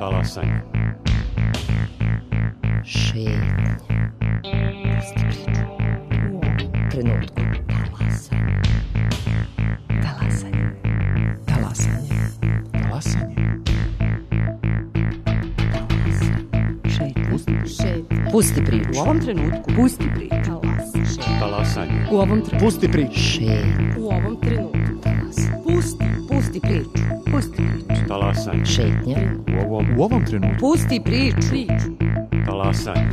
Talasanje. Šetnja. Pusti priču. U ovom trenutku. Talasanje. Talasanje. Talasanje. Šetnja. Pusti priču. U ovom trenutku. Pusti priču. Talasanje. U ovom trenutku. Pusti priču. Šetnja. U ovom trenutku. Pusti priču. Pusti priču. Talasanje. Šetnja. U ovom trenutku. Pusti priču. Talasanje.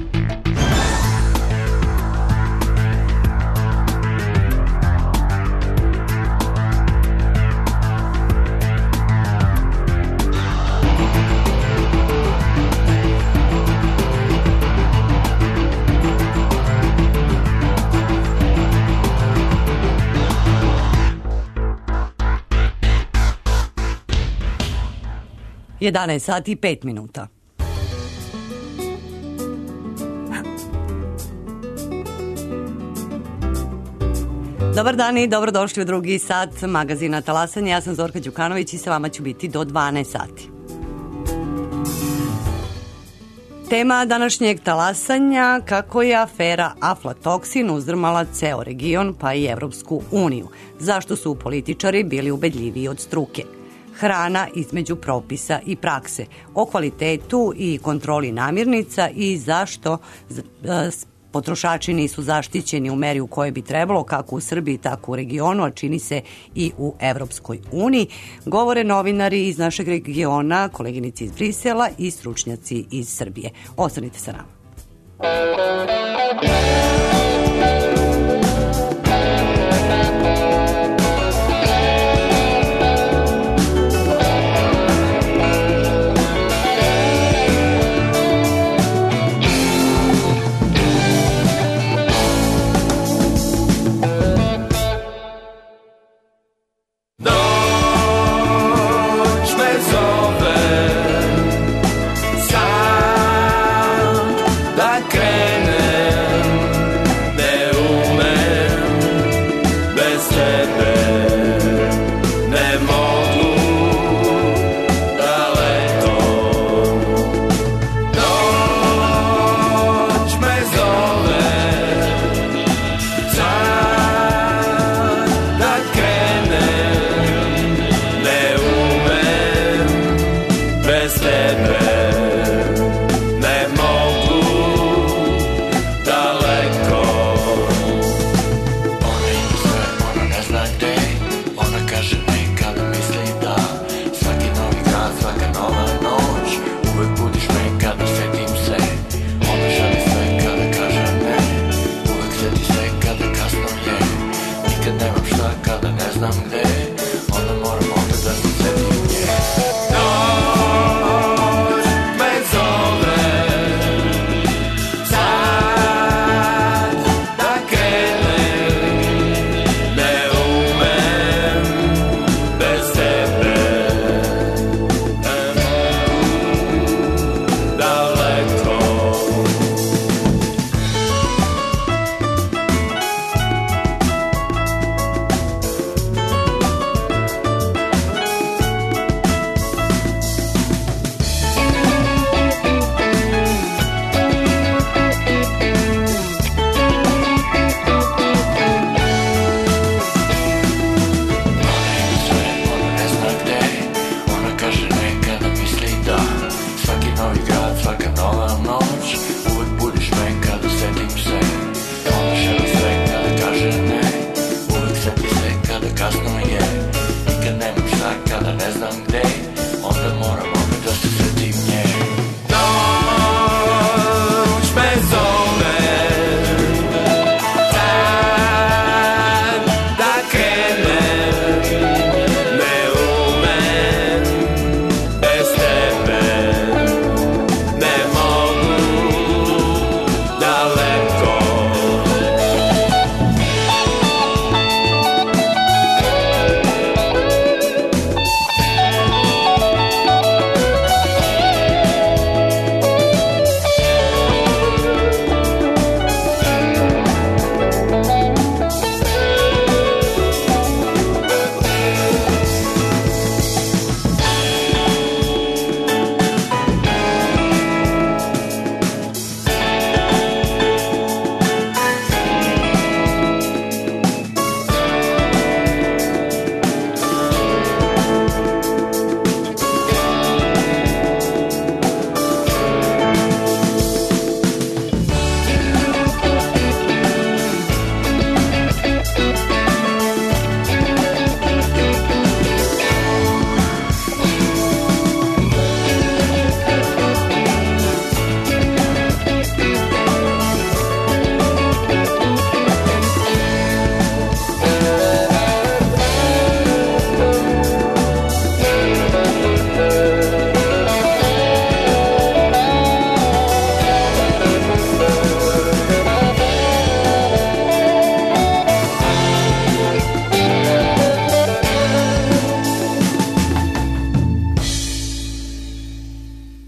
Jedanaest sati i 5 minuta. Dobar dan i dobrodošli u drugi sat magazina Talasanje. Ja sam Zorka Đukanović i sa vama ću biti do 12 sati. Tema današnjeg talasanja: kako je afera aflatoksin uzdrmala ceo region pa i Evropsku uniju. Zašto su političari bili ubedljiviji od struke? Hrana između propisa i prakse, o kvalitetu i kontroli namirnica i zašto potrošači nisu zaštićeni u meri u kojoj bi trebalo, kako u Srbiji, tako u regionu, a čini se i u Evropskoj uniji. Govore novinari iz našeg regiona, koleginici iz Brisela i stručnjaci iz Srbije. Ostanite sa nama.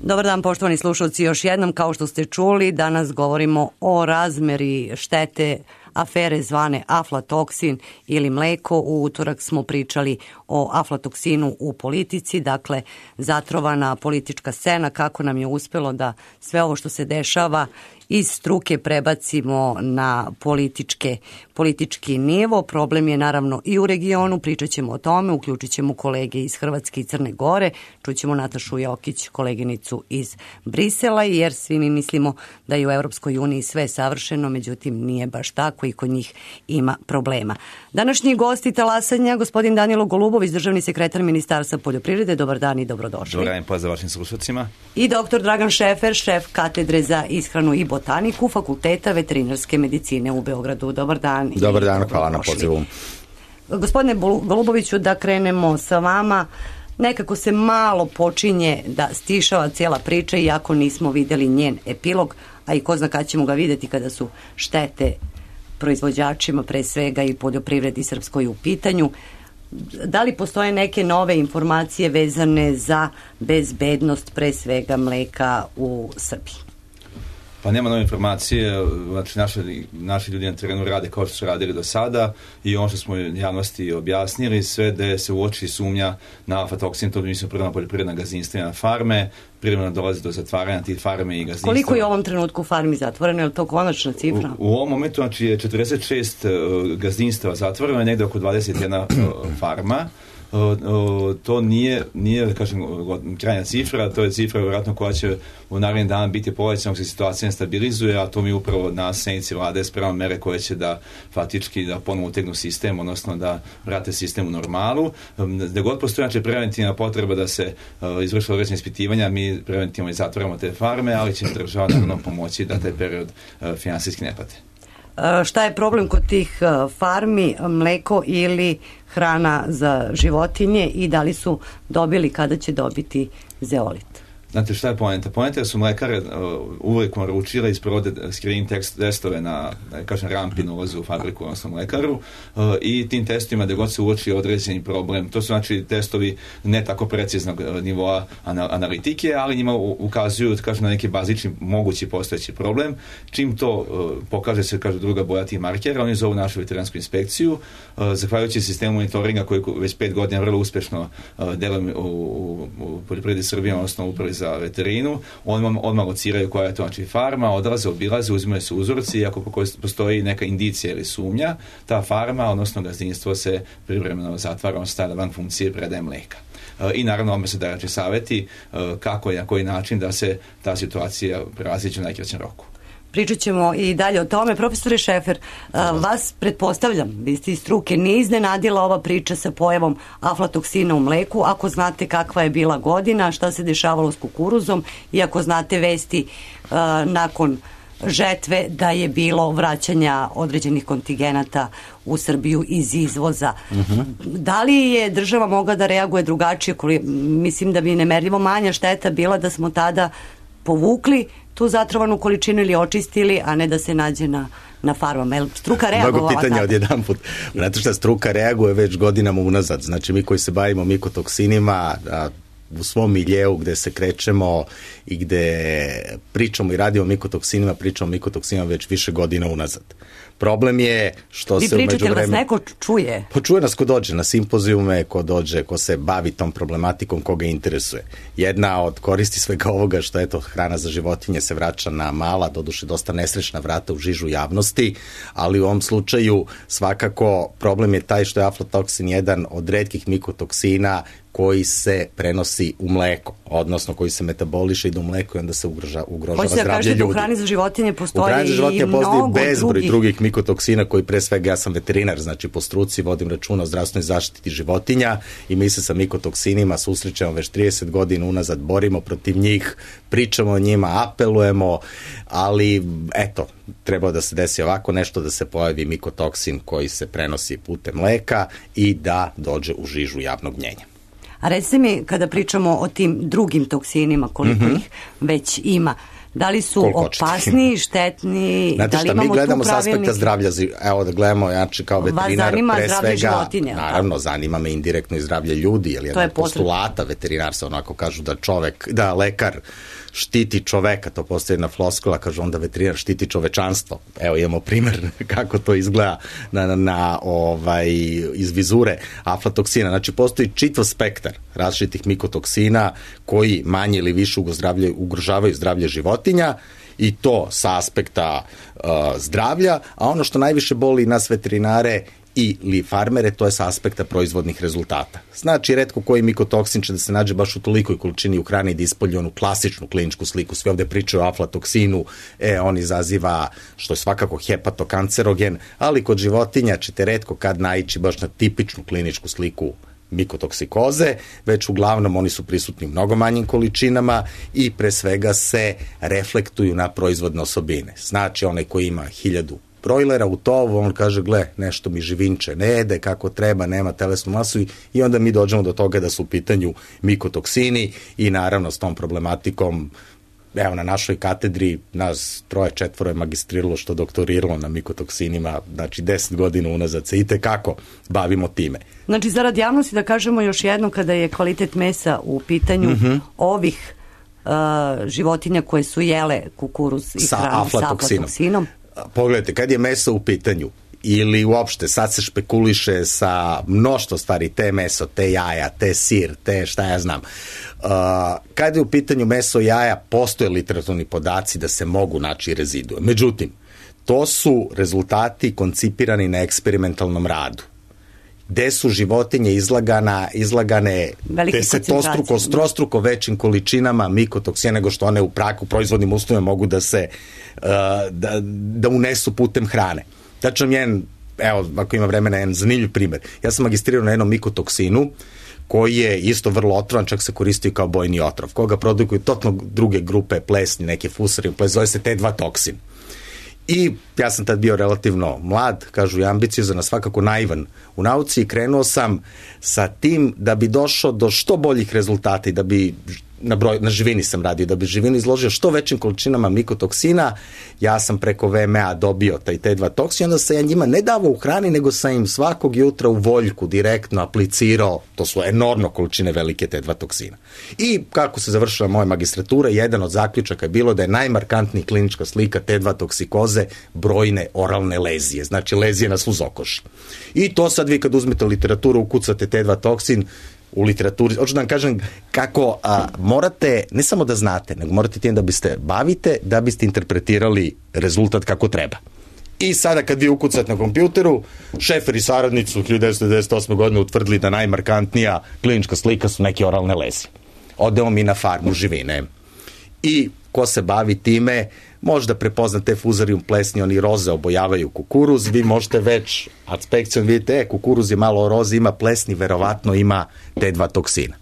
Dobar dan, poštovani slušalci, još jednom, kao što ste čuli, danas govorimo o razmeri štete afere zvane aflatoksin ili mleko. U utorak smo pričali o aflatoksinu u politici, dakle zatrovana politička scena, kako nam je uspelo da sve ovo što se dešava iz struke prebacimo na politički nivo. Problem je naravno i u regionu, pričat ćemo o tome, uključit ćemo kolege iz Hrvatske i Crne Gore, čućemo Natašu Jokić, koleginicu iz Brisela, jer svi mi mislimo da je u Europskoj uniji sve savršeno, međutim nije baš tako i kod njih ima problema. Današnji gosti talasanja, gospodin Danilo Golubović, državni sekretar Ministarstva poljoprivrede. Dobar dan i dobrodošli. Dobar dan, pozdrav vašim slušalcima. I doktor Dragan Šefer, šef katedre za ishranu i botaniku Fakulteta veterinarske medicine u Beogradu. Dobar dan. Dobar dan, hvala na pozivu. Gospodine Goluboviću, da krenemo sa vama. Nekako se malo počinje da stišava cijela priča, iako nismo videli njen epilog, a i ko zna kad ćemo ga videti kada su štete proizvođačima, pre svega i poljoprivredi srpskoj u pitanju. Da li postoje neke nove informacije vezane za bezbednost pre svega mleka u Srbiji? Pa nema nove informacije, znači naši ljudi na terenu rade kao što su radili do sada i ono što smo javnosti objasnili, sve da se uoči sumnja na aflatoksin, to mislim prvo na poljoprivredna gazdinstva i na farme, privremeno dolazi do zatvaranja tih farme i gazdinstva. Koliko je u ovom trenutku farmi zatvoreno, je li to konačna cifra? U ovom momentu znači je 46 gazdinstva zatvoreno, je negde oko 21 farma. To nije da kažem krajnja cifra, to je cifra vjerojatno koja će u narednim dana biti povećana, se situacija ne stabilizuje, a to mi upravo na sednici vlade spremamo mere koje će da faktički da ponovo utegnu sistem, odnosno da vrate sistem u normalu. Da god postoji znači preventivna potreba da se izvrše određene ispitivanja, mi preventivno i zatvaramo te farme, ali će država naravno pomoći da taj period finansijski ne pate. Šta je problem kod tih farmi, mleko ili hrana za životinje i da li su dobili, kada će dobiti zeolit? Znate šta je poenta? Poenta je da su mlekare uvijek naručile i sprovode screening testove na rampi na ulazu u fabriku, odnosno mlekaru, i tim testovima da god se uoči određeni problem. To su znači testovi ne tako preciznog nivoa analitike, ali njima ukazuju na neki bazični mogući postojeći problem. Čim to pokaže se, druga boja tih markera, oni zovu našu veterinarsku inspekciju. Zahvaljujući sistemu monitoringa koji već 5 godina vrlo uspešno deluje u poljoprivredi Srbije, odnosno upravi za veterinu, odmah lociraju koja je to znači farma, odlaze, obilaze, uzimaju se uzorci i ako postoji neka indicija ili sumnja, ta farma, odnosno gazdinstvo se privremeno zatvara, on stavlja van funkcije predaje mleka. I naravno ovome se daje savjeti kako i na koji način da se ta situacija prevaziđe u najkraćem roku. Pričat ćemo i dalje o tome. Profesore Šefer, vas pretpostavljam, vi ste iz struke, nije iznenadila ova priča sa pojavom aflatoksina u mleku, ako znate kakva je bila godina, šta se dešavalo s kukuruzom i ako znate vesti nakon žetve da je bilo vraćanja određenih kontingenata u Srbiju iz izvoza. Da li je država mogla da reaguje drugačije? Mislim da bi nemerljivo manja šteta bila da smo tada povukli tu zatrovanu količinu ili očistili, a ne da se nađe na farmama. Je li struka reagovala tako? Mnogo pitanja odjedanput. Znate šta, struka reaguje već godinama unazad. Znači mi koji se bavimo mikotoksinima, u svom miljeu gde se krećemo i gde pričamo i radimo o mikotoksinima, pričamo o mikotoksinima već više godina unazad. Problem je što se umeđu vremenu... Vi pričate, vas neko čuje? Čuje nas ko dođe na simpozijume, ko dođe, ko se bavi tom problematikom, koga interesuje. Jedna od koristi svega ovoga što eto hrana za životinje se vraća na mala, doduše dosta nesrećna vrata u žižu javnosti, ali u ovom slučaju svakako problem je taj što je aflatoksin jedan od retkih mikotoksina koji se prenosi u mleko, odnosno koji se metaboliše i do mleko i onda se ugrožava zdravlje ljudi. U hrani za životinje postoji i mnogo bezbroj drugih mikotoksina koji pre svega, ja sam veterinar, znači po struci vodim računa o zdravstvenoj zaštiti životinja i mi se sa mikotoksinima susrećemo već 30 godina unazad, borimo protiv njih, pričamo o njima, apelujemo, ali eto, treba da se desi ovako nešto, da se pojavi mikotoksin koji se prenosi putem mleka i da dođe u žižu javnog mnjenja. A recite mi, kada pričamo o tim drugim toksinima, koliko ih već ima, Da li su Koliko hoćete. opasniji, štetni, Znate da li šta, mi imamo gledamo tu s aspekta pravilnik? zdravlja, evo da gledamo, znači kao veterinar, zanima pre zdravlje svega, životinja, naravno, zanima me indirektno i zdravlje ljudi, jer jedan je od postulata veterinarstva, onako kažu da lekar štiti čoveka, to postoji jedna floskula, kažu onda veterinar štiti čovečanstvo. Evo imamo primer kako to izgleda iz vizure aflatoksina. Znači postoji čitav spektar različitih mikotoksina koji manje ili više ugrožavaju zdravlje životinja, i to sa aspekta zdravlja, a ono što najviše boli nas veterinare ili farmere, to je sa aspekta proizvodnih rezultata. Znači, retko koji mikotoksin će da se nađe baš u tolikoj količini u hrani da ispolji onu klasičnu kliničku sliku. Svi ovde pričaju o aflatoksinu, on izaziva, što je svakako hepatokancerogen, ali kod životinja ćete retko kad naići baš na tipičnu kliničku sliku mikotoksikoze, već uglavnom oni su prisutni u mnogo manjim količinama i pre svega se reflektuju na proizvodne osobine. Znači, onaj koji ima 1000 brojlera u tovu, on kaže, gle, nešto mi živinče ne jede kako treba, nema telesnu masu, i onda mi dođemo do toga da su u pitanju mikotoksini i naravno s tom problematikom, evo na našoj katedri nas 3-4 je magistriralo što doktoriralo na mikotoksinima, znači 10 godina unazad se itekako bavimo time. Znači, zarad javnosti da kažemo još jedno, kada je kvalitet mesa u pitanju ovih životinja koje su jele kukuruz i hranu sa aflatoksinom. Pogledajte, kad je meso u pitanju, ili uopšte sad se špekuliše sa mnoštvo stvari, te meso, te jaja, te sir, te šta ja znam. Kad je u pitanju meso, jaja, postoje literaturni podaci da se mogu naći rezidue. Međutim, to su rezultati koncipirani na eksperimentalnom radu, gde su životinje izlagane desetostruko, strostruko većim količinama mikotoksina nego što one u proizvodnim uslovima mogu da se da unesu putem hrane. Znači vam jedan, evo, ako ima vremena, jedan zanimljiv primer. Ja sam magistrirao na jednom mikotoksinu koji je isto vrlo otrovan, čak se koristi kao bojni otrov, koga produkuju totalno druge grupe plesni, neke fusari, zove se T2 toksin. I ja sam tad bio relativno mlad, kažu, i ambiciozan, svakako naivan u nauci, i krenuo sam sa tim da bi došao do što boljih rezultata i da bi na živini sam radio, da bi živinu izložio što većim količinama mikotoksina. Ja sam preko VMA dobio taj T2 toksin, onda sam ja njima ne davao u hrani, nego sam im svakog jutra u voljku direktno aplicirao, to su enormno količine velike T2 toksina. I kako se završila moja magistratura, jedan od zaključaka je bilo da je najmarkantnija klinička slika T2 toksikoze brojne oralne lezije, znači lezije na sluzokoši. I to sad vi kad uzmete literaturu, ukucate T2 toksin, u literaturi, hoću da vam kažem kako morate, ne samo da znate, nego morate tim da biste bavite, da biste interpretirali rezultat kako treba. I sada kad vi ukucate na kompjuteru, Šefer i saradnici su 1998. godine utvrdili da najmarkantnija klinička slika su neke oralne lezije. Odemo mi na farmu živine. I ko se bavi time, možda prepozna te fuzarium plesni, oni roze obojavaju kukuruz, vi možete već adspekcijom vidite, kukuruz je malo roze, ima plesni, verovatno ima T2 toksina.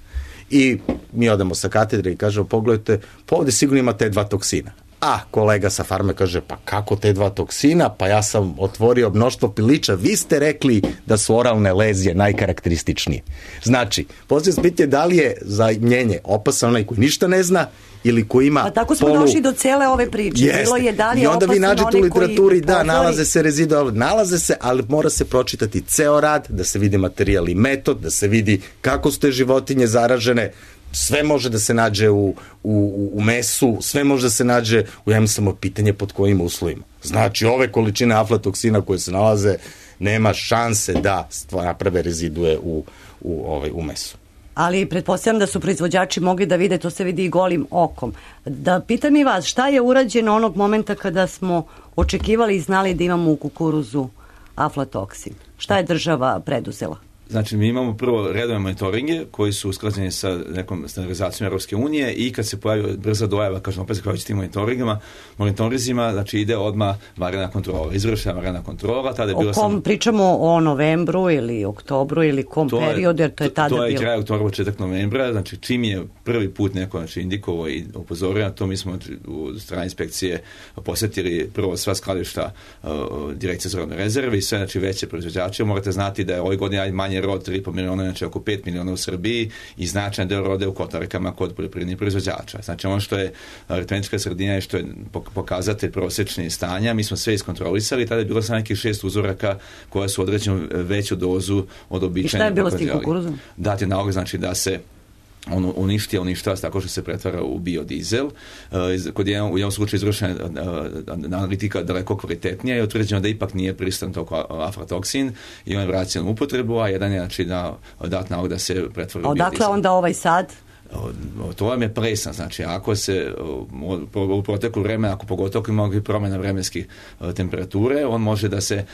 I mi odemo sa katedre i kažemo, pogledajte, pa ovde sigurno ima T2 toksina. A kolega sa farme kaže, pa kako T2 toksina? Pa ja sam otvorio mnoštvo pilića, vi ste rekli da su oralne lezije najkarakterističnije. Znači, poslije se pitanje da li je za mljenje opasan onaj koji ništa ne zna ili koji ima pa tako smo došli do cele ove priče. Jeste. Bilo je da li je i onda vi nađete u literaturi, da, nalaze se rezidue, nalaze se, ali mora se pročitati ceo rad, da se vidi materijal i metod, da se vidi kako su te životinje zaražene. Sve može da se nađe u mesu, sve može da se nađe u samo pitanje pod kojim uslovima. Znači, ove količine aflatoksina koje se nalaze, nema šanse da naprave rezidue u mesu. Ali pretpostavljam da su proizvođači mogli da vide, to se vidi i golim okom. Da pitam i vas, šta je urađeno onog momenta kada smo očekivali i znali da imamo u kukuruzu aflatoksin? Šta je država preduzela? Znači, mi imamo prvo redovne monitoringe koji su usklađeni sa nekom standardizacijom Europske unije i kad se pojavi brza dojava, kažem opet zahvaljujući tim monitorizima, znači ide odmah vanredna kontrola, izvršena vanredna kontrola. Tada je bila pričamo o novembru ili oktobru ili kom periodu, jer to je tada bilo? To je kraj oktobra, početak novembra, znači čim je prvi put neko indikovao i upozorio na to, mi smo u strani inspekcije posjetili prvo sva skladišta Direkcije za robne rezerve i sve, znači veće proizvođače. Morate znati da je ove godine manje je rod 3,5 miliona, znači oko 5 miliona u Srbiji i značajan deo rode u kotarkama kod poljoprivrednih proizvođača. Znači ono što je aritmetička sredina i što je pokazatelj prosječnih stanja, mi smo sve iskontrolisali, tada je bilo samo nekih 6 uzoraka koja su određenu veću dozu od običajne. I šta je bilo s tim kukuruzom? Dati nalog, znači da se on uništava tako što se pretvara u biodizel. Kod u jednom slučaju izvršena analitika daleko kvalitetnija i utvrđeno da ipak nije prisutan tog aflatoksin i on je vraćen u upotrebu, a jedan je znači dat nalog da se pretvara u biodizel. Odakle onda ovaj sad? To vam je presan, znači ako se u proteku vremena, ako pogotovo ima promjena vremenskih temperature, on može da se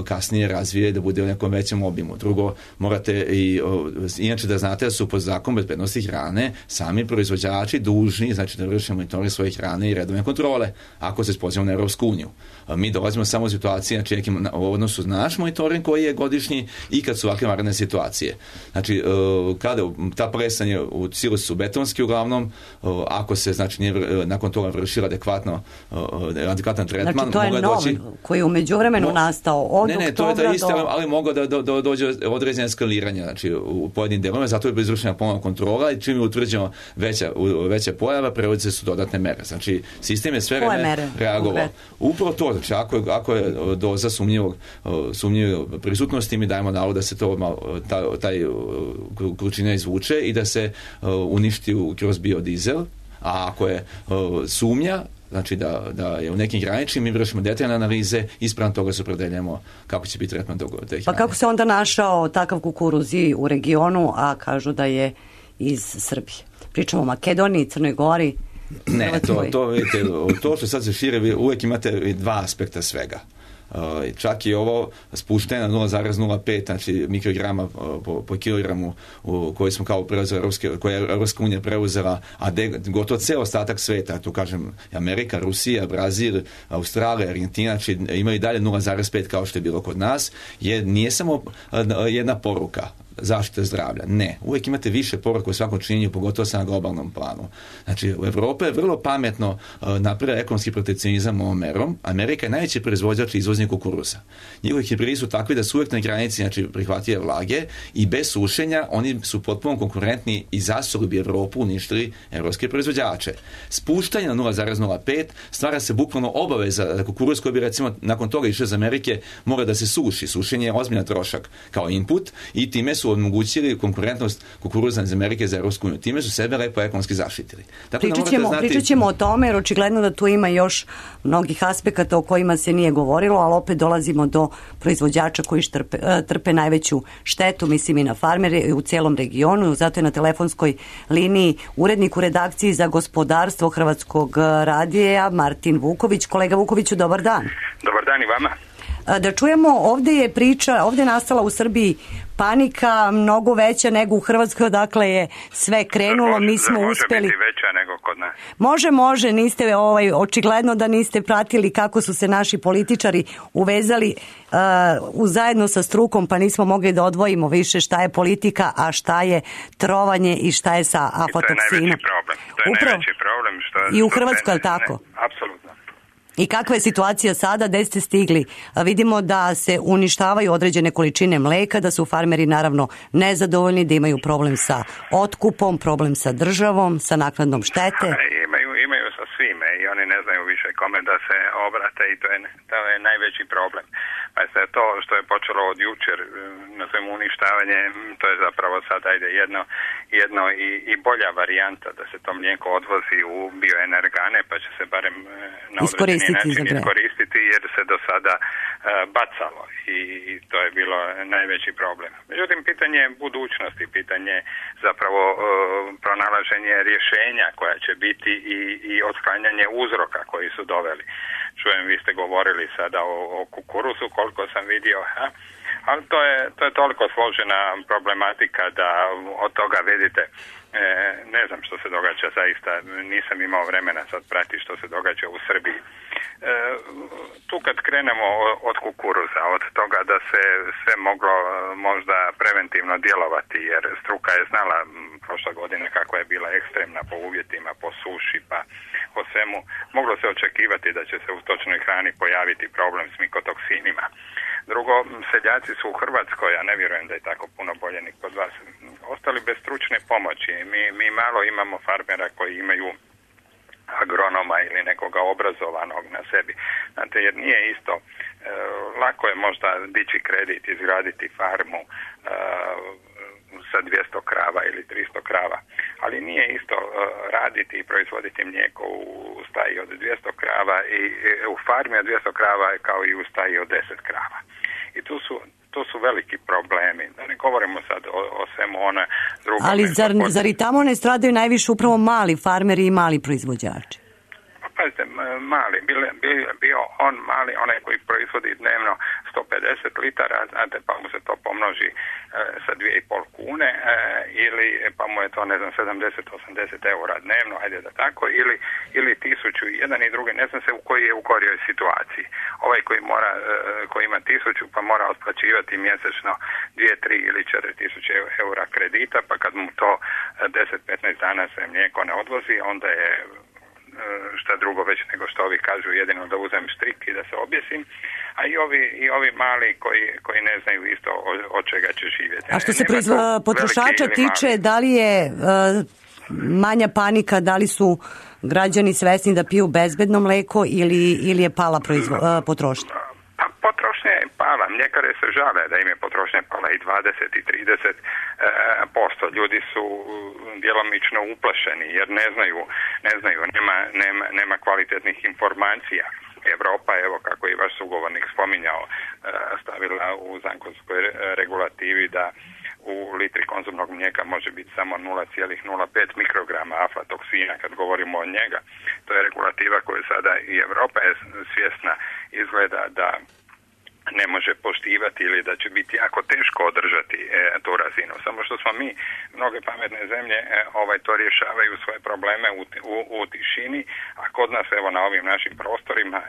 kasnije razvije, da bude u nekom većem obimu. Drugo, morate inače da znate da su po zakonu bezbednosti hrane sami proizvođači dužni, znači da vrše monitoring svoje hrane i redovne kontrole, ako se spozivamo na Europsku uniju. Mi dolazimo samo u situaciji, znači u odnosu na naš monitoring koji je godišnji i kad su ovakve vanredne situacije. Znači, kada ta presan je u silosi su betonski uglavnom, ako se znači nije nakon toga vršila adekvatan tretman, znači to je nov koji je u međuvremenu nastao od oktobra to je isto, ali moglo da dođe određene eskaliranja znači u pojedinim delovima, zato je izvršena ponovna kontrola i čim je utvrđeno veća pojava, prevode su dodatne mere. Znači sistem je sve vreme reagovao. Upravo to, znači ako je doza sumnjive prisutnosti, mi dajemo nalog da se taj količina izvuče i da se uništi kroz biodizel, a ako je sumnja, znači da je u nekim graničnim, mi vršimo detaljne analize i spram toga se opredeljujemo kako će biti tretman te hrane. Pa kako se onda našao takav kukuruz i u regionu, a kažu da je iz Srbije? Pričamo o Makedoniji, Crnoj Gori. Ne, to što sad se šire, uvijek imate dva aspekta svega. Čak i ovo spušteno na 0,05 znači mikrograma po kilogramu koji smo kao preuzeli koje je Europska unija preuzela, a gotovo ceo ostatak sveta, tu kažem Amerika, Rusija, Brazil, Australija, Argentina, znači imaju dalje 0,5 kao što je bilo kod nas, nije samo jedna poruka zaštite zdravlja. Ne. Uvijek imate više poruka u svakom činjenju, pogotovo sa na globalnom planu. Znači, u Evropi je vrlo pametno napravila ekonomski protekcionizam ovom merom. Amerika je najveći proizvođač i izvoznik kukuruza. Njihovi hibridi su takvi da su uvijek na granici, znači prihvatljive vlage i bez sušenja oni su potpuno konkurentni i zasuli bi Evropu uništili evropske proizvođače. Spuštanje na 0,05 stvara se bukvalno obaveza da kukuruz koji bi recimo nakon toga išao iz Amerike mora da se suši. Sušenje je ozbiljan trošak kao input i time su omogućili konkurentnost kukuruza iz Amerike za Europsku uniju. Time su sebe lepo ekonomski zaštitili. Pričat ćemo o tome, jer očigledno da tu ima još mnogih aspekata o kojima se nije govorilo, ali opet dolazimo do proizvođača koji trpe najveću štetu, mislim i na farmere u cijelom regionu. Zato je na telefonskoj liniji urednik u redakciji za gospodarstvo Hrvatskog radija Martin Vuković. Kolega Vukoviću, dobar dan. Dobar dan i vama. Da čujemo, ovdje je nastala u Srbiji panika mnogo veća nego u Hrvatskoj, odakle je sve krenulo, mi smo uspjeli. Može biti veća nego kod nas. Može, niste, očigledno da niste pratili kako su se naši političari uvezali zajedno sa strukom, pa nismo mogli da odvojimo više šta je politika, a šta je trovanje i šta je sa aflatoksinom. To je najveći problem. I u Hrvatskoj, je li tako? Apsolutno. I kakva je situacija sada, gde ste stigli? Vidimo da se uništavaju određene količine mleka, da su farmeri naravno nezadovoljni, da imaju problem sa otkupom, problem sa državom, sa naknadom štete. Imaju sa svime i oni ne znaju više kome da se obrate i to je najveći problem. Pa se to što je počelo od jučer na svemu uništavanje, to je zapravo sad jedno i bolja varijanta da se to mlijeko odvozi u bioenergane, pa će se barem na određeni način iskoristiti jer se do sada bacalo i to je bilo najveći problem. Međutim, pitanje budućnosti, pitanje zapravo pronalaženje rješenja koja će biti i otklanjanje uzroka koji su doveli. Čujem, vi ste govorili sada o kukuruzu, koliko sam vidio, ali to je toliko složena problematika da od toga vidite, ne znam što se događa zaista, nisam imao vremena sad pratiti što se događa u Srbiji. Tu kad krenemo od kukuruza, od toga da se sve moglo možda preventivno djelovati, jer struka je znala prošle godine kako je bila ekstremna po uvjetima, po suši, pa po svemu, moglo se očekivati da će se u stočnoj hrani pojaviti problem s mikotoksinima. Drugo, seljaci su u Hrvatskoj, ja ne vjerujem da je tako puno bolje ni kod vas, ostali bez stručne pomoći. Mi malo imamo farmera koji imaju agronoma ili nekoga obrazovanog na sebi. Znate, jer nije isto, lako je možda dići kredit, izgraditi farmu sa 200 krava ili 300 krava, ali nije isto raditi i proizvoditi mlijeko u staji od 200 krava i u farmi od 200 krava kao i u staji od 10 krava. I tu su veliki problemi. Da ne govorimo sad o svemu ona drugome. Ali zar i tamo ne stradaju najviše upravo mali farmeri i mali proizvođači? Pazite, mali, bio on mali, onaj koji proizvodi dnevno 150 litara, znate, pa mu se to pomnoži sa 2,5 kune, ili pa mu je to, ne znam, 70-80 eura dnevno, ajde da tako, ili 1000, jedan i drugi, ne znam se u koji je u gorijoj situaciji. Ovaj koji ima 1000 pa mora otplaćivati mjesečno 2, 3 ili 4.000 eura kredita, pa kad mu to 10-15 dana se mlijeko ne odvozi, onda je šta drugo već nego što ovi kažu, jedino da uzem štrik i da se objesim, a i ovi mali koji ne znaju isto od čega će živjeti. A što se potrošača tiče, da li je manja panika, da li su građani svesni da piju bezbedno mleko ili je pala potrošnja? Potrošnja je pala. Mljekare se žale da im je potrošnja pala i 20 i 30%. Ljudi su djelomično uplašeni jer ne znaju, nema kvalitetnih informacija. Evropa, evo kako je vaš sugovornik spominjao, stavila u zakonskoj regulativi da u litri konzumnog mlijeka može biti samo 0,05 mikrograma aflatoksina kad govorimo o njega. To je regulativa koju sada i Evropa je svjesna, izgleda da ne može poštivati ili da će biti jako teško održati tu razinu. Samo što smo mi, mnoge pametne zemlje, to rješavaju svoje probleme u tišini, a kod nas, evo na ovim našim prostorima,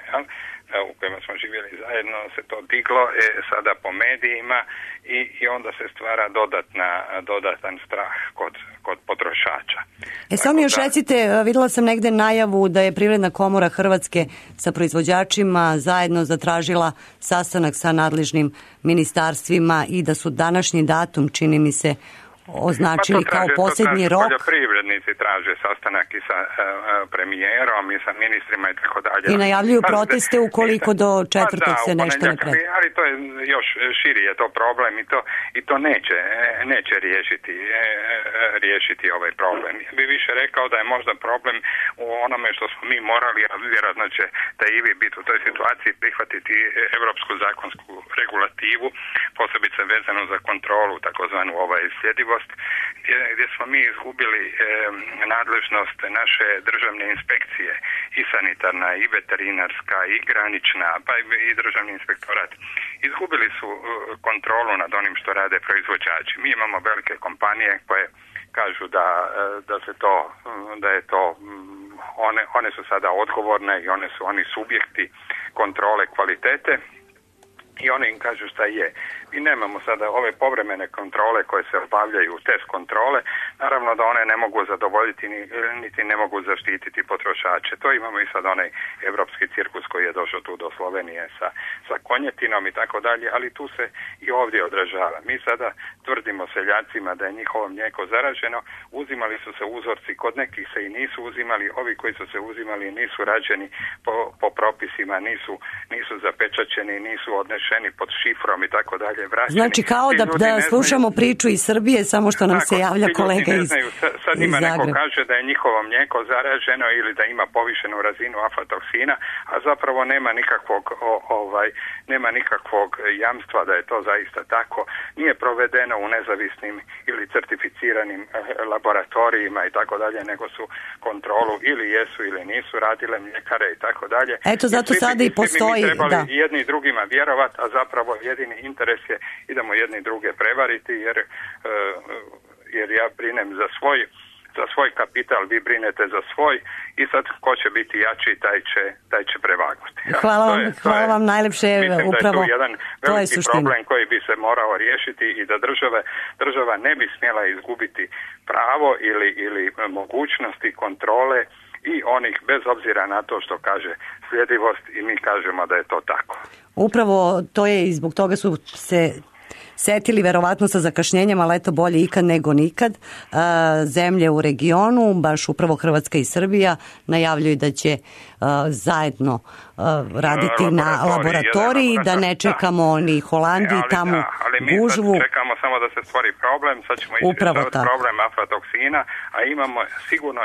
u kojima smo živjeli zajedno, se to diglo sada po medijima i onda se stvara dodatan strah kod potrošača. Samo još recite, vidjela sam negde najavu da je Privredna komora Hrvatske sa proizvođačima zajedno zatražila sastanak sa nadležnim ministarstvima i da su današnji datum, čini mi se, označili kao posljednji rok. Poljoprivrednici traže sastanak i sa premijerom i sa ministrima i tako dalje. I najavljuju proteste ukoliko do četvrtog se nešto ne preda. Ali to je još širi je to problem i to neće riješiti ovaj problem. Ja bih više rekao da je možda problem u onome što smo mi morali, a vjerojatno će da i vi biti u toj situaciji prihvatiti evropsku zakonsku regulativu, posebice vezano za kontrolu, takozvanu sljedivost, gdje smo mi izgubili nadležnost naše državne inspekcije, i sanitarna, i veterinarska, i granična, pa i državni inspektorat. Izgubili su kontrolu nad onim što rade proizvođači. Mi imamo velike kompanije koje kažu da je to one su sada odgovorne i oni subjekti kontrole kvalitete. I oni im kažu šta je. Mi nemamo sada ove povremene kontrole koje se obavljaju, test kontrole, naravno da one ne mogu zadovoljiti niti ne mogu zaštititi potrošače. To imamo i sad onaj evropski cirkus koji je došao tu do Slovenije sa konjetinom i tako dalje, ali tu se i ovdje odražava. Mi sada tvrdimo seljacima da je njihovo mlijeko zaraženo, uzimali su se uzorci, kod nekih se i nisu uzimali, ovi koji su se uzimali nisu rađeni po propisima, nisu zapečaćeni, nisu odnešeni pod šifrom i tako dalje. Vraćeni. Znači kao da slušamo priču iz Srbije, samo što nam se javlja kolega iz Zagreba. Sad ima neko kaže da je njihovo mlijeko zaraženo ili da ima povišenu razinu aflatoksina, a zapravo nema nikakvog jamstva da je to zaista tako. Nije provedeno u nezavisnim ili certificiranim laboratorijima i tako dalje, nego su kontrolu ili jesu ili nisu radile mljekare i tako dalje. Eto, zato sada i postoji. Mi trebali jedni i drugima vjerovati, a zapravo jedini interes je idemo jedni druge prevariti jer ja brinem za svoj kapital, vi brinete za svoj i sad ko će biti jači, taj će prevagnuti. Hvala vam najlepše, upravo to je jedan veliki problem koji bi se morao riješiti i da država ne bi smjela izgubiti pravo ili mogućnosti kontrole i onih, bez obzira na to što kaže sljedivost, i mi kažemo da je to tako. Upravo to je i zbog toga su se setili verovatno sa zakašnjenjem, ali eto bolje ikad nego nikad. Zemlje u regionu, baš upravo Hrvatska i Srbija, najavljuju da će zajedno raditi na laboratoriji, da ne čekamo ni Holandiji, tamo gužvu. Ali mi sad čekamo samo da se stvori problem, sad ćemo izrješavati problem aflatoksina, a imamo sigurno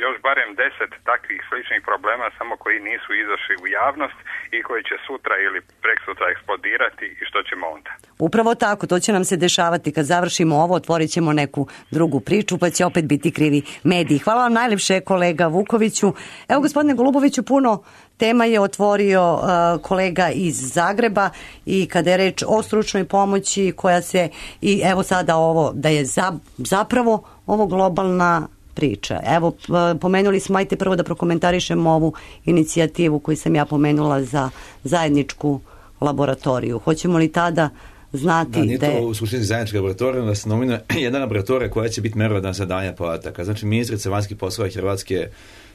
još barem 10 takvih sličnih problema, samo koji nisu izašli u javnost i koji će sutra ili preksutra eksplodirati, i što ćemo onda? Upravo tako, to će nam se dešavati. Kad završimo ovo, otvorit ćemo neku drugu priču, pa će opet biti krivi mediji. Hvala vam najlepše, kolega Vukoviću. Evo, gospodine Goluboviću, puno tema je otvorio kolega iz Zagreba, i kada je reč o stručnoj pomoći koja se, i evo sada ovo, da je zapravo ovo globalna priča. Evo, pomenuli smo, ajte prvo da prokomentarišemo ovu inicijativu koju sam ja pomenula za zajedničku laboratoriju. Hoćemo li tada znati da nije to u suštini zajednička laboratorija, da se nominuje jedna laboratorija koja će biti merodavna za danje podataka. Znači, ministrica vanjskih poslova Hrvatske,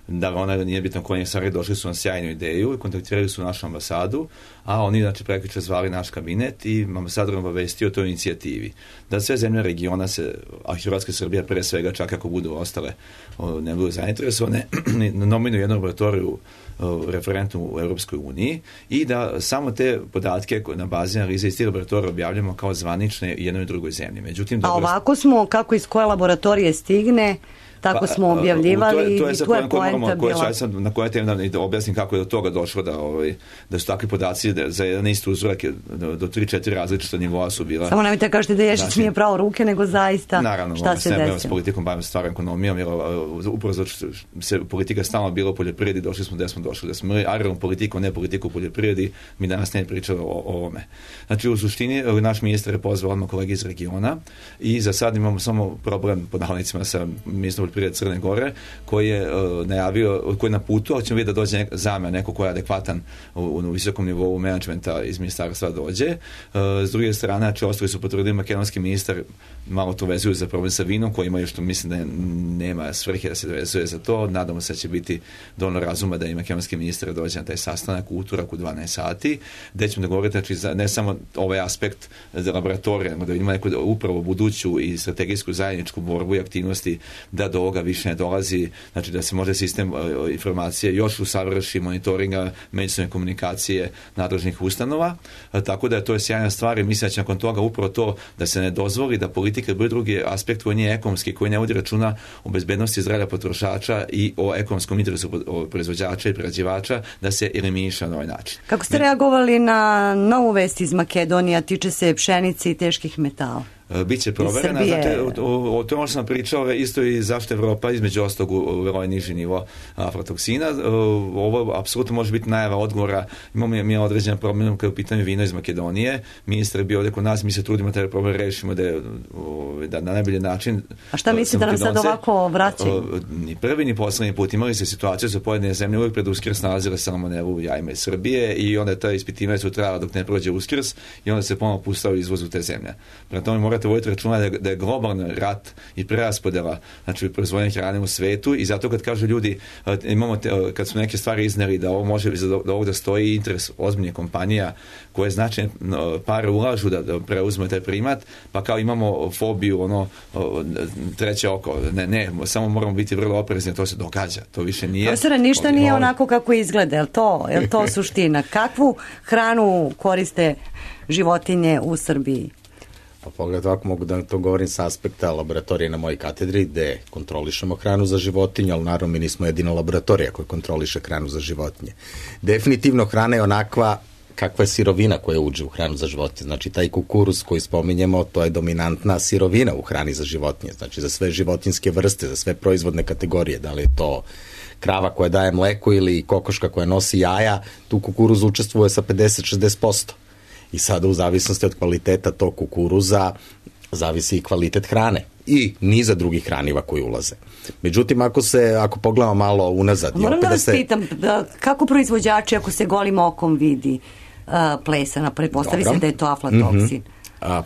da ona nije bitno koji je stvari, došli su na sjajnu ideju i kontaktirali su našu ambasadu, a oni, znači, prekjuče zvali naš kabinet i ambasador obavestio o toj inicijativi. Da sve zemlje regiona a Hrvatska i Srbija pre svega, čak ako budu ostale, ne budu zainteresovane, nominuju jednu laboratoriju referentnu u Europskoj uniji, i da samo te podatke na bazi analize iz tih laboratorija objavljamo kao zvanične jednoj i drugoj zemlji. Međutim, a ovako smo, kako iz koje laboratorije stigne, tako smo objavljivali, i tu je poenta bila. Na koje teme da objasnim kako je do toga došlo, da su takvi podaci za jedan isti uzorak do 3-4 različita nivoa su bila. Samo nemojte kažete da Ješić nije pravo ruke, nego zaista naravno, šta se desilo. S politikom bavimo stvarnom ekonomijom, jer upravo zato što se politika stalno bila u poljoprivredi, došli smo gde smo došli. Da smo imali agrarnu politiku, ne politiku u poljoprivredi, mi danas ne pričali o ovome. Znači, u suštini, naš ministar je pozvao odmah kolege iz regiona, i za sad imamo samo problem, pod navodnicima, sa ministrom poljoprivrede Crne Gore, koji je najavio, koji je na putu, ali ćemo vidjeti da dođe zamena, neko ko je adekvatan u visokom nivou menadžmenta iz ministarstva dođe. S druge strane, znači, ostali su potvrdili makedonski ministar, malo to vezuju za problem sa vinom, koji ima još, što mislim da nema svrhe da se vezuje za to. Nadamo se da će biti dovoljno razuma da i makedonski ministar dođe na taj sastanak u utorak u 12 sati, gde ćemo dogovoriti, znači, ne samo ovaj aspekt za laboratorije, nego da vidimo neku upravo buduću i strategijsku zajedničku borbu i aktivnosti, da do ovoga više ne dolazi, znači da se može sistem informacije još usavrši, monitoringa, međusobne komunikacije nadležnih ustanova, tako da to je sjajna stvar, i mislim da će nakon toga upravo to da se ne dozvoli da politika bude drugi aspekt koji nije ekonomski, koji ne vodi računa o bezbednosti zdravlja potrošača i o ekonomskom interesu proizvođača i prerađivača, da se eliminiše na ovaj način. Kako ste reagovali na novu vest iz Makedonije, tiče se pšenice i teških metala? Biće proverena, znate, o tome sam pričao isto i zašto Evropa između ostalog u ovaj niži nivo aflatoksina. Ovo apsolutno može biti najava odgovora. Imamo mi određen problem kada je u pitanju vino iz Makedonije. Ministar je bio ovdje kod nas, mi se trudimo taj problem rešimo da na najbolji način. A šta mislite da nam sad ovako vraćaju? Ni prvi ni poslednji put imali se situaciju sa pojedine zemlje uvijek pred Uskrs nalazile salmoneru jajima iz Srbije, i onda je ta ispitivanja su trajala dok ne prođe Uskrs, i onda se ponovo pustao izvoz u te zemlje. Prema tome morate voditi računa da je globalni rat i preraspodela, znači proizvodnje hrane u svetu, i zato kad kažu ljudi, kad su neke stvari izneli da ovo može da ovog da stoji interes ozbiljnih kompanija koje značajne pare ulažu da preuzme taj primat, pa kao imamo fobiju, treće oko. Ne, samo moramo biti vrlo oprezni, to se događa. To više nije. Profesore, ništa nije onako kako izgleda, je li to suština? Kakvu hranu koriste životinje u Srbiji? Pa pogledaj, ovako mogu da to govorim sa aspekta laboratorije na mojoj katedri, gde kontrolišemo hranu za životinje, ali naravno mi nismo jedina laboratorija koja kontroliše hranu za životinje. Definitivno hrana je onakva kakva je sirovina koja uđe u hranu za životinje. Znači, taj kukuruz koji spominjemo, to je dominantna sirovina u hrani za životinje. Znači, za sve životinjske vrste, za sve proizvodne kategorije, da li je to krava koja daje mleko ili kokoška koja nosi jaja, tu kukuruz učestvuje sa 50-60%. I sada u zavisnosti od kvaliteta tog kukuruza zavisi i kvalitet hrane i niza drugih hraniva koji ulaze. Međutim, ako pogledamo malo unazad... Moram da vas pitam, kako proizvođači, ako se golim okom vidi plesana, pretpostavi se da je to aflatoksin?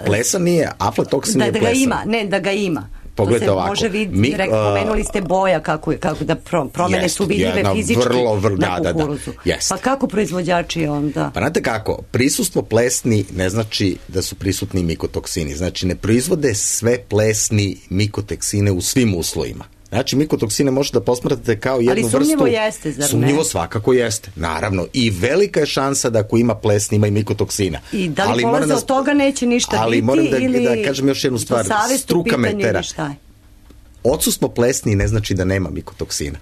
Plesan nije, aflatoksin je plesan. Da ga ima. Pogledajte to se ovako. može vidjeti, pomenuli ste boja, kako da promene su vidljive fizički na kukuruzu. Pa kako proizvođači onda? Pa znate kako, prisustvo plesni ne znači da su prisutni mikotoksini. Znači ne proizvode sve plesni mikotoksine u svim uslovima. Znači, mikotoksine možete da posmatrate kao jednu vrstu... Ali sumnjivo jeste, zar ne? Sumnjivo svakako jeste, naravno. I velika je šansa da ako ima plesni, ima i mikotoksina. I da li polaze od toga neće ništa biti? Ali moram da kažem još jednu stvar. Struka me tera. Odsustvo plesni ne znači da nema mikotoksina.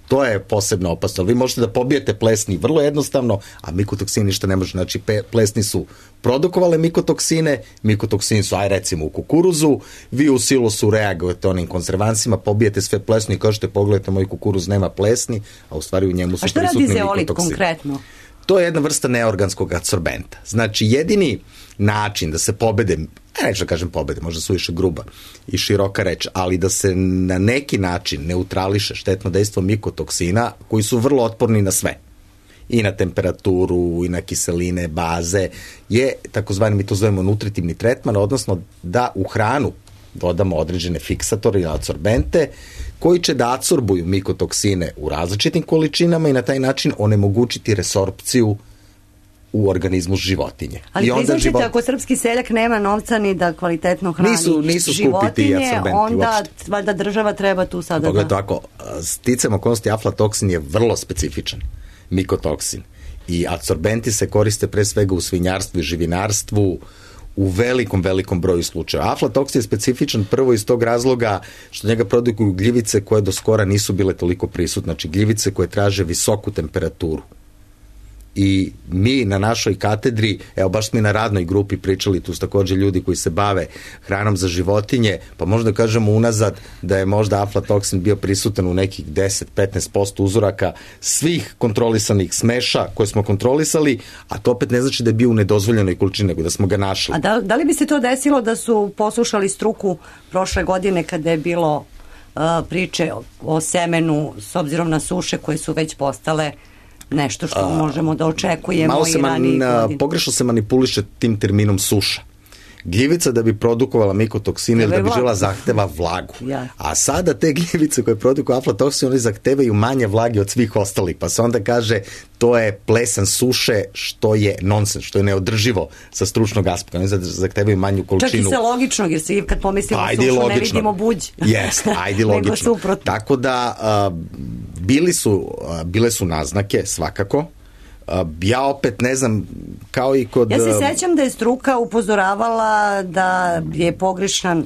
To je posebno opasno. Vi možete da pobijete plesni vrlo jednostavno, a mikotoksini ništa ne može. Znači, plesni su produkovale mikotoksine, mikotoksini su, recimo, u kukuruzu, vi u silosu reagujete onim konzervansima, pobijete sve plesni i kažete, pogledajte, moj kukuruz nema plesni, a u stvari u njemu su prisutni mikotoksini. A što radi zeolit konkretno? To je jedna vrsta neorganskog adsorbenta. Znači, jedini način da se pobede, neću da kažem pobede, možda su više gruba i široka reč, ali da se na neki način neutrališe štetno dejstvo mikotoksina, koji su vrlo otporni na sve, i na temperaturu, i na kiseline, baze, je takozvani, mi to zovemo nutritivni tretman, odnosno da u hranu dodamo određene fiksatore ili adsorbente koji će da adsorbuju mikotoksine u različitim količinama i na taj način onemogućiti resorpciju u organizmu životinje. Ali priznačite, ako srpski seljak nema novca ni da kvalitetno hrani životinje, onda valjda država treba tu sada Pogledajte ovako, sticajem okolnosti aflatoksin je vrlo specifičan mikotoksin i adsorbenti se koriste pre svega u svinjarstvu i živinarstvu u velikom broju slučaja. Aflatoksin je specifičan prvo iz tog razloga što njega produkuju gljivice koje do skora nisu bile toliko prisutne, znači gljivice koje traže visoku temperaturu. I mi na našoj katedri, evo baš smo i na radnoj grupi pričali, tu su također ljudi koji se bave hranom za životinje, pa možda kažemo unazad da je možda aflatoksin bio prisutan u nekih 10-15% uzoraka svih kontrolisanih smeša koje smo kontrolisali, a to opet ne znači da je bio u nedozvoljenoj količini, nego da smo ga našli. A da li bi se to desilo da su poslušali struku prošle godine kada je bilo priče o semenu s obzirom na suše koje su već postale nešto što možemo da očekujemo i ranije godine? Pogrešno se manipuliše tim terminom suša. Gljivica da bi produkovala mikotoksine ili da bi žela zahteva vlagu. A sada te gljivice koje produkuju aflatoksin, oni zahtevaju manje vlage od svih ostalih. Pa se onda kaže to je plesan suše, što je nonsens, što je neodrživo sa stručnog aspekta. Oni zahtevaju manju količinu. Čak i sa logičnog, jer svi kad pomislimo sušu ne vidimo buđ. Jeste, ajde logično. Tako da bile su naznake svakako. Ja opet ne znam, kao i kod... Ja se sećam da je struka upozoravala da je pogrešan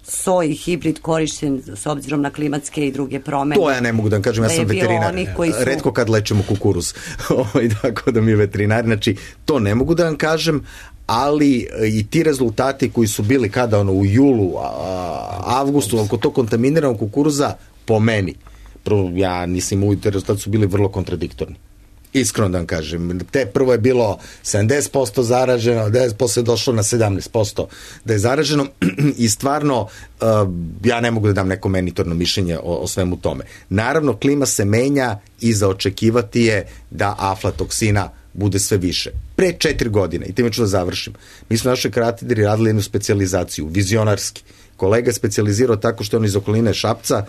soj hibrid korišten s obzirom na klimatske i druge promene. To ja ne mogu da vam kažem, ja sam veterinar. Retko kad lečemo kukuruz. Tako da mi je veterinar. Znači, to ne mogu da vam kažem, ali i ti rezultati koji su bili kada u julu, avgustu, oko to kontaminiranog kukuruza, po meni, ja nisam uvijek, te rezultati su bili vrlo kontradiktorni. Iskreno da vam kažem, prvo je bilo 70% zaraženo, 10% je došlo na 17% da je zaraženo i stvarno ja ne mogu da dam neko meritorno mišljenje o svemu tome. Naravno, klima se menja i za očekivati je da aflatoksina bude sve više. Pre 4 godine, i time ću da završim, mi smo na našoj katedri radili jednu specijalizaciju, vizionarski. Kolega je specijalizirao tako što je on iz okoline Šapca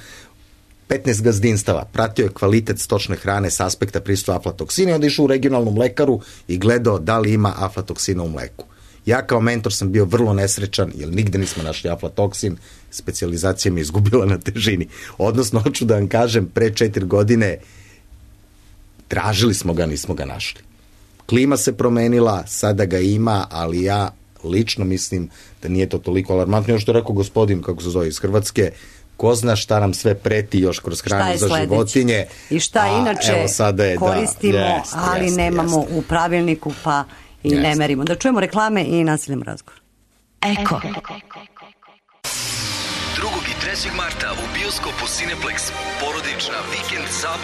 15 gazdinstava, pratio je kvalitet stočne hrane s aspekta prisustva aflatoksina i onda išao u regionalnu mlekaru i gledao da li ima aflatoksina u mleku. Ja kao mentor sam bio vrlo nesrećan jer nigde nismo našli aflatoksin, specijalizacija mi je izgubila na težini. Odnosno, hoću da vam kažem, pre 4 godine tražili smo ga, nismo ga našli. Klima se promenila, sada ga ima, ali ja lično mislim da nije to toliko alarmantno. Još što je rekao gospodin, kako se zove, iz Hrvatske, ko zna šta nam sve preti još kroz hranu za životinje. I šta inače koristimo, ali nemamo u pravilniku, pa i ne merimo. Da čujemo reklame i nastavljamo razgovor. Eko. 2. i 3. marta u bioskopu Cineplex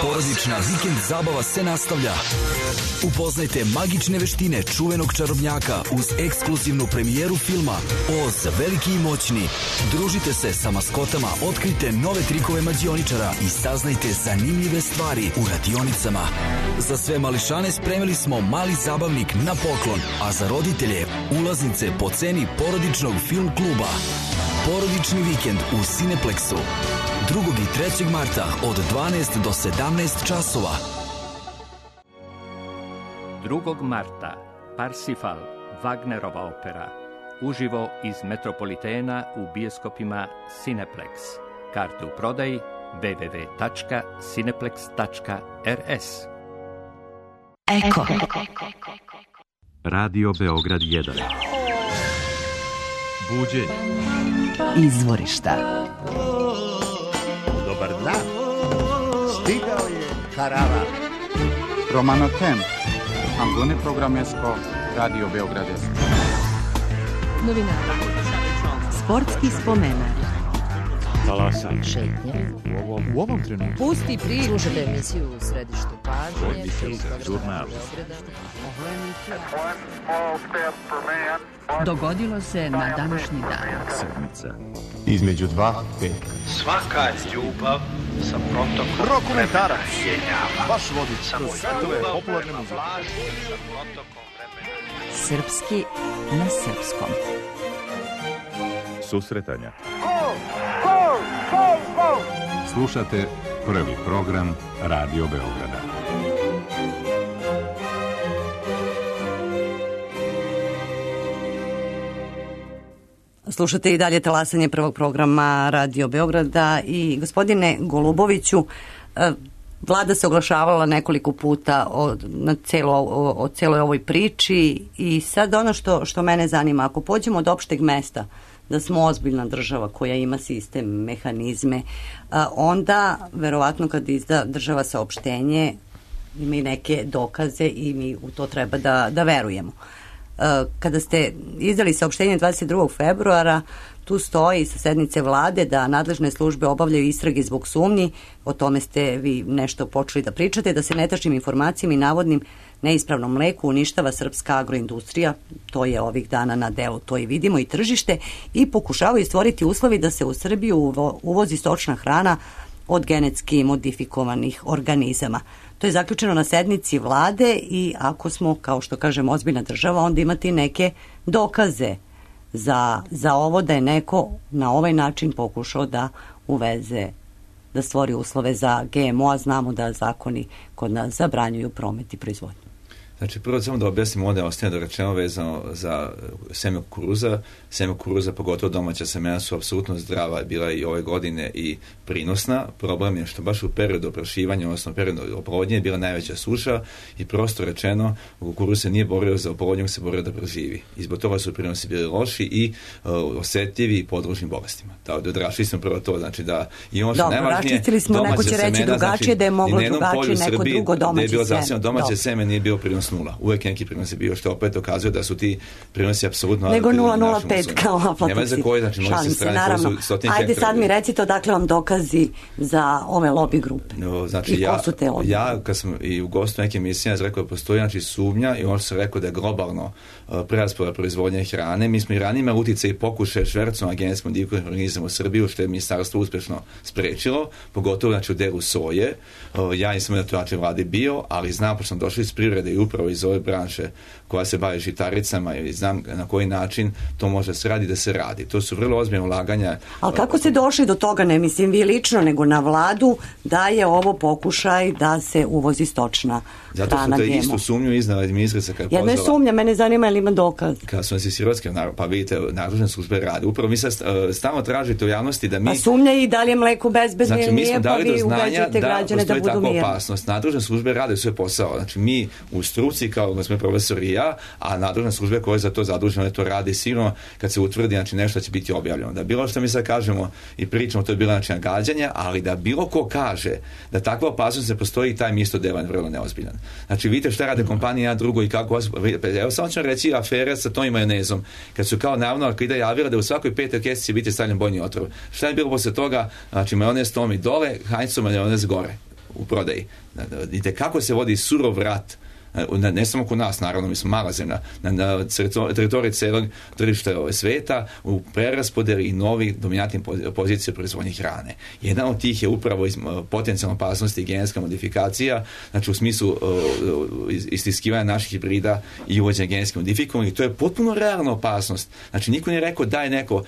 porodična vikend zabava se nastavlja. Upoznajte magične veštine čuvenog čarobnjaka uz ekskluzivnu premijeru filma Oz, veliki i moćni. Družite se sa maskotama, otkrite nove trikove mađioničara i saznajte zanimljive stvari u radionicama. Za sve mališane spremili smo mali zabavnik na poklon, a za roditelje ulaznice po ceni porodičnog film kluba. Porodični vikend u Cineplexu. 2. i 3. marta od 12 do 17 časova. 2. marta Parsifal, Wagnerova opera. Uživo iz Metropolitena u bioskopima Cineplex. Karte u prodaji www.cineplex.rs. Eko. Radio Beograd 1. Buđenje. Izvorišta. Dobar dan. Stigao je karavan. Romano Temp. Angone Programesko. Radio Beograd 1. Novinari. Sportski spomenar. Talasanje. Šetnje. U ovom trenutku. Pusti priču. Slušajte emisiju u središtu pažnje. Žurnal. Dogodilo se na današnji dan. Sedmica. Između 2 i 5. Svaka ljubav sa protokom Rokomentarac. vremena. Baš vodi Samo svetove ljubav popularne prema muzike. vlaži sa protokom vremena. Srpski na srpskom. Susretanja. Slušate prvi program Radio Beograda. Slušate i dalje talasanje prvog programa Radio Beograda i gospodine Goluboviću, Vlada se oglašavala nekoliko puta o celoj ovoj priči i sad ono što mene zanima, ako pođemo od opšteg mesta da smo ozbiljna država koja ima sistem, mehanizme, onda verovatno kad izda država saopštenje ima i neke dokaze i mi u to treba da verujemo. Kada ste izdali saopštenje 22. februara, tu stoji sa sednice vlade da nadležne službe obavljaju istrage zbog sumnji, o tome ste vi nešto počeli da pričate, da se netačnim informacijama i navodnim neispravnom mleku uništava srpska agroindustrija, to je ovih dana na delu, to i vidimo, i tržište, i pokušavaju stvoriti uslovi da se u Srbiju uvozi stočna hrana od genetski modifikovanih organizama. To je zaključeno na sednici vlade i ako smo, kao što kažemo, ozbiljna država, onda imati neke dokaze za ovo da je neko na ovaj način pokušao da uveze, da stvori uslove za GMO, a znamo da zakoni kod nas zabranjuju promet i proizvodnju. Znači, prvo samo da objasnim ovdje ostaje dorečeno vezano za seme kukuruza. Seme kukuruza, pogotovo domaća semena, su apsolutno zdrava, bila i ove godine i prinosna. Problem je što baš u periodu oprašivanja, odnosno periodu oplodnje, je bila najveća suša i prosto rečeno, kukuruz se nije borio za oplodnju, se borio da preživi. I zbog toga su prinosi bili loši i osjetljivi i podložni bolestima. Odrašli smo prvo to, znači da i ono što najvažnije, raščistili smo, neko će reći drugačije, da je moglo drugačije, neko drugo domaće seme nije bio prinos 0. Uvijek neki prinos je bio, što opet dokazuje da su ti prinosi apsolutno... Nego 0,05 kao aflatoksi. Nema za koji, znači možete se strane, naravno. Ajde sad mi recite odakle vam dokazi za ove lobby grupe. No, znači i ko su te lobby? Ja kad sam i u gostu neke emisije rekao da postoji znači sumnja i ono što sam rekao da je globalno preraspodjela proizvodnje hrane. Mi smo i ranije imali utjecaj i pokušaje švercom genetski modifikovanih organizama u Srbiju, što je ministarstvo uspješno sprečilo, pogotovo znači u delu soje. Ja nisam na to način vladi bio, ali znam, pošto sam došao iz privrede i upravo iz ove branše koja se bavi žitaricama i znam na koji način to može se radi da se radi. To su vrlo ozbiljne ulaganja. Ali kako ste došli do toga, ne mislim vi lično, nego na vladu, da je ovo pokušaj da se uvozi stočna hrana GMO? Zato su te istu sumnju iznala ministrica kada je pozvala. Jedna je sumnja, mene zanima ili ima dokaz. Kada su nas iz Hrvatske, pa vidite, nadležne službe rade. Upravo mi sad stalno tražite u javnosti da mi... Pa sumnja i da li je mleko bezbedno ili nije, pa vi ubeđujete građane da budu mirni. Opasnost. Nadležne službe rade svoj posao. Znači mi u struci, kao smo profesori i ja, a nadležne službe koje za to zadužene to rade sigurno kad se utvrdi znači nešto će biti objavljeno. Da bilo što mi sad kažemo i pričamo, to je bilo znači nagađanja, ali da bilo ko kaže da takva opasnost ne postoji, taj mi isto devan vrlo neozbiljan. Znači vidite šta rade kompanije jedna drugo i kako. Evo samo ću reći afere sa tom majonezom, kad su kao navodno Arklida javila da u svakoj 5. kesici će biti stavljen bojni otrov. Šta je bilo posle toga? Znači majonez tom i dole, Heinzov majonez gore u prodaji. Vidite kako se vodi surov rat Ne samo kod nas, naravno, mi smo mala zemlja, na teritoriji celog tržišta sveta u preraspodeli i novih dominantnih pozicija proizvodnje hrane. Jedan od tih je upravo potencijalna opasnosti i genetska modifikacija, znači u smislu istiskivanja naših hibrida i uvođenja genetski modifikovanih. To je potpuno realna opasnost. Znači niko nije rekao da je neko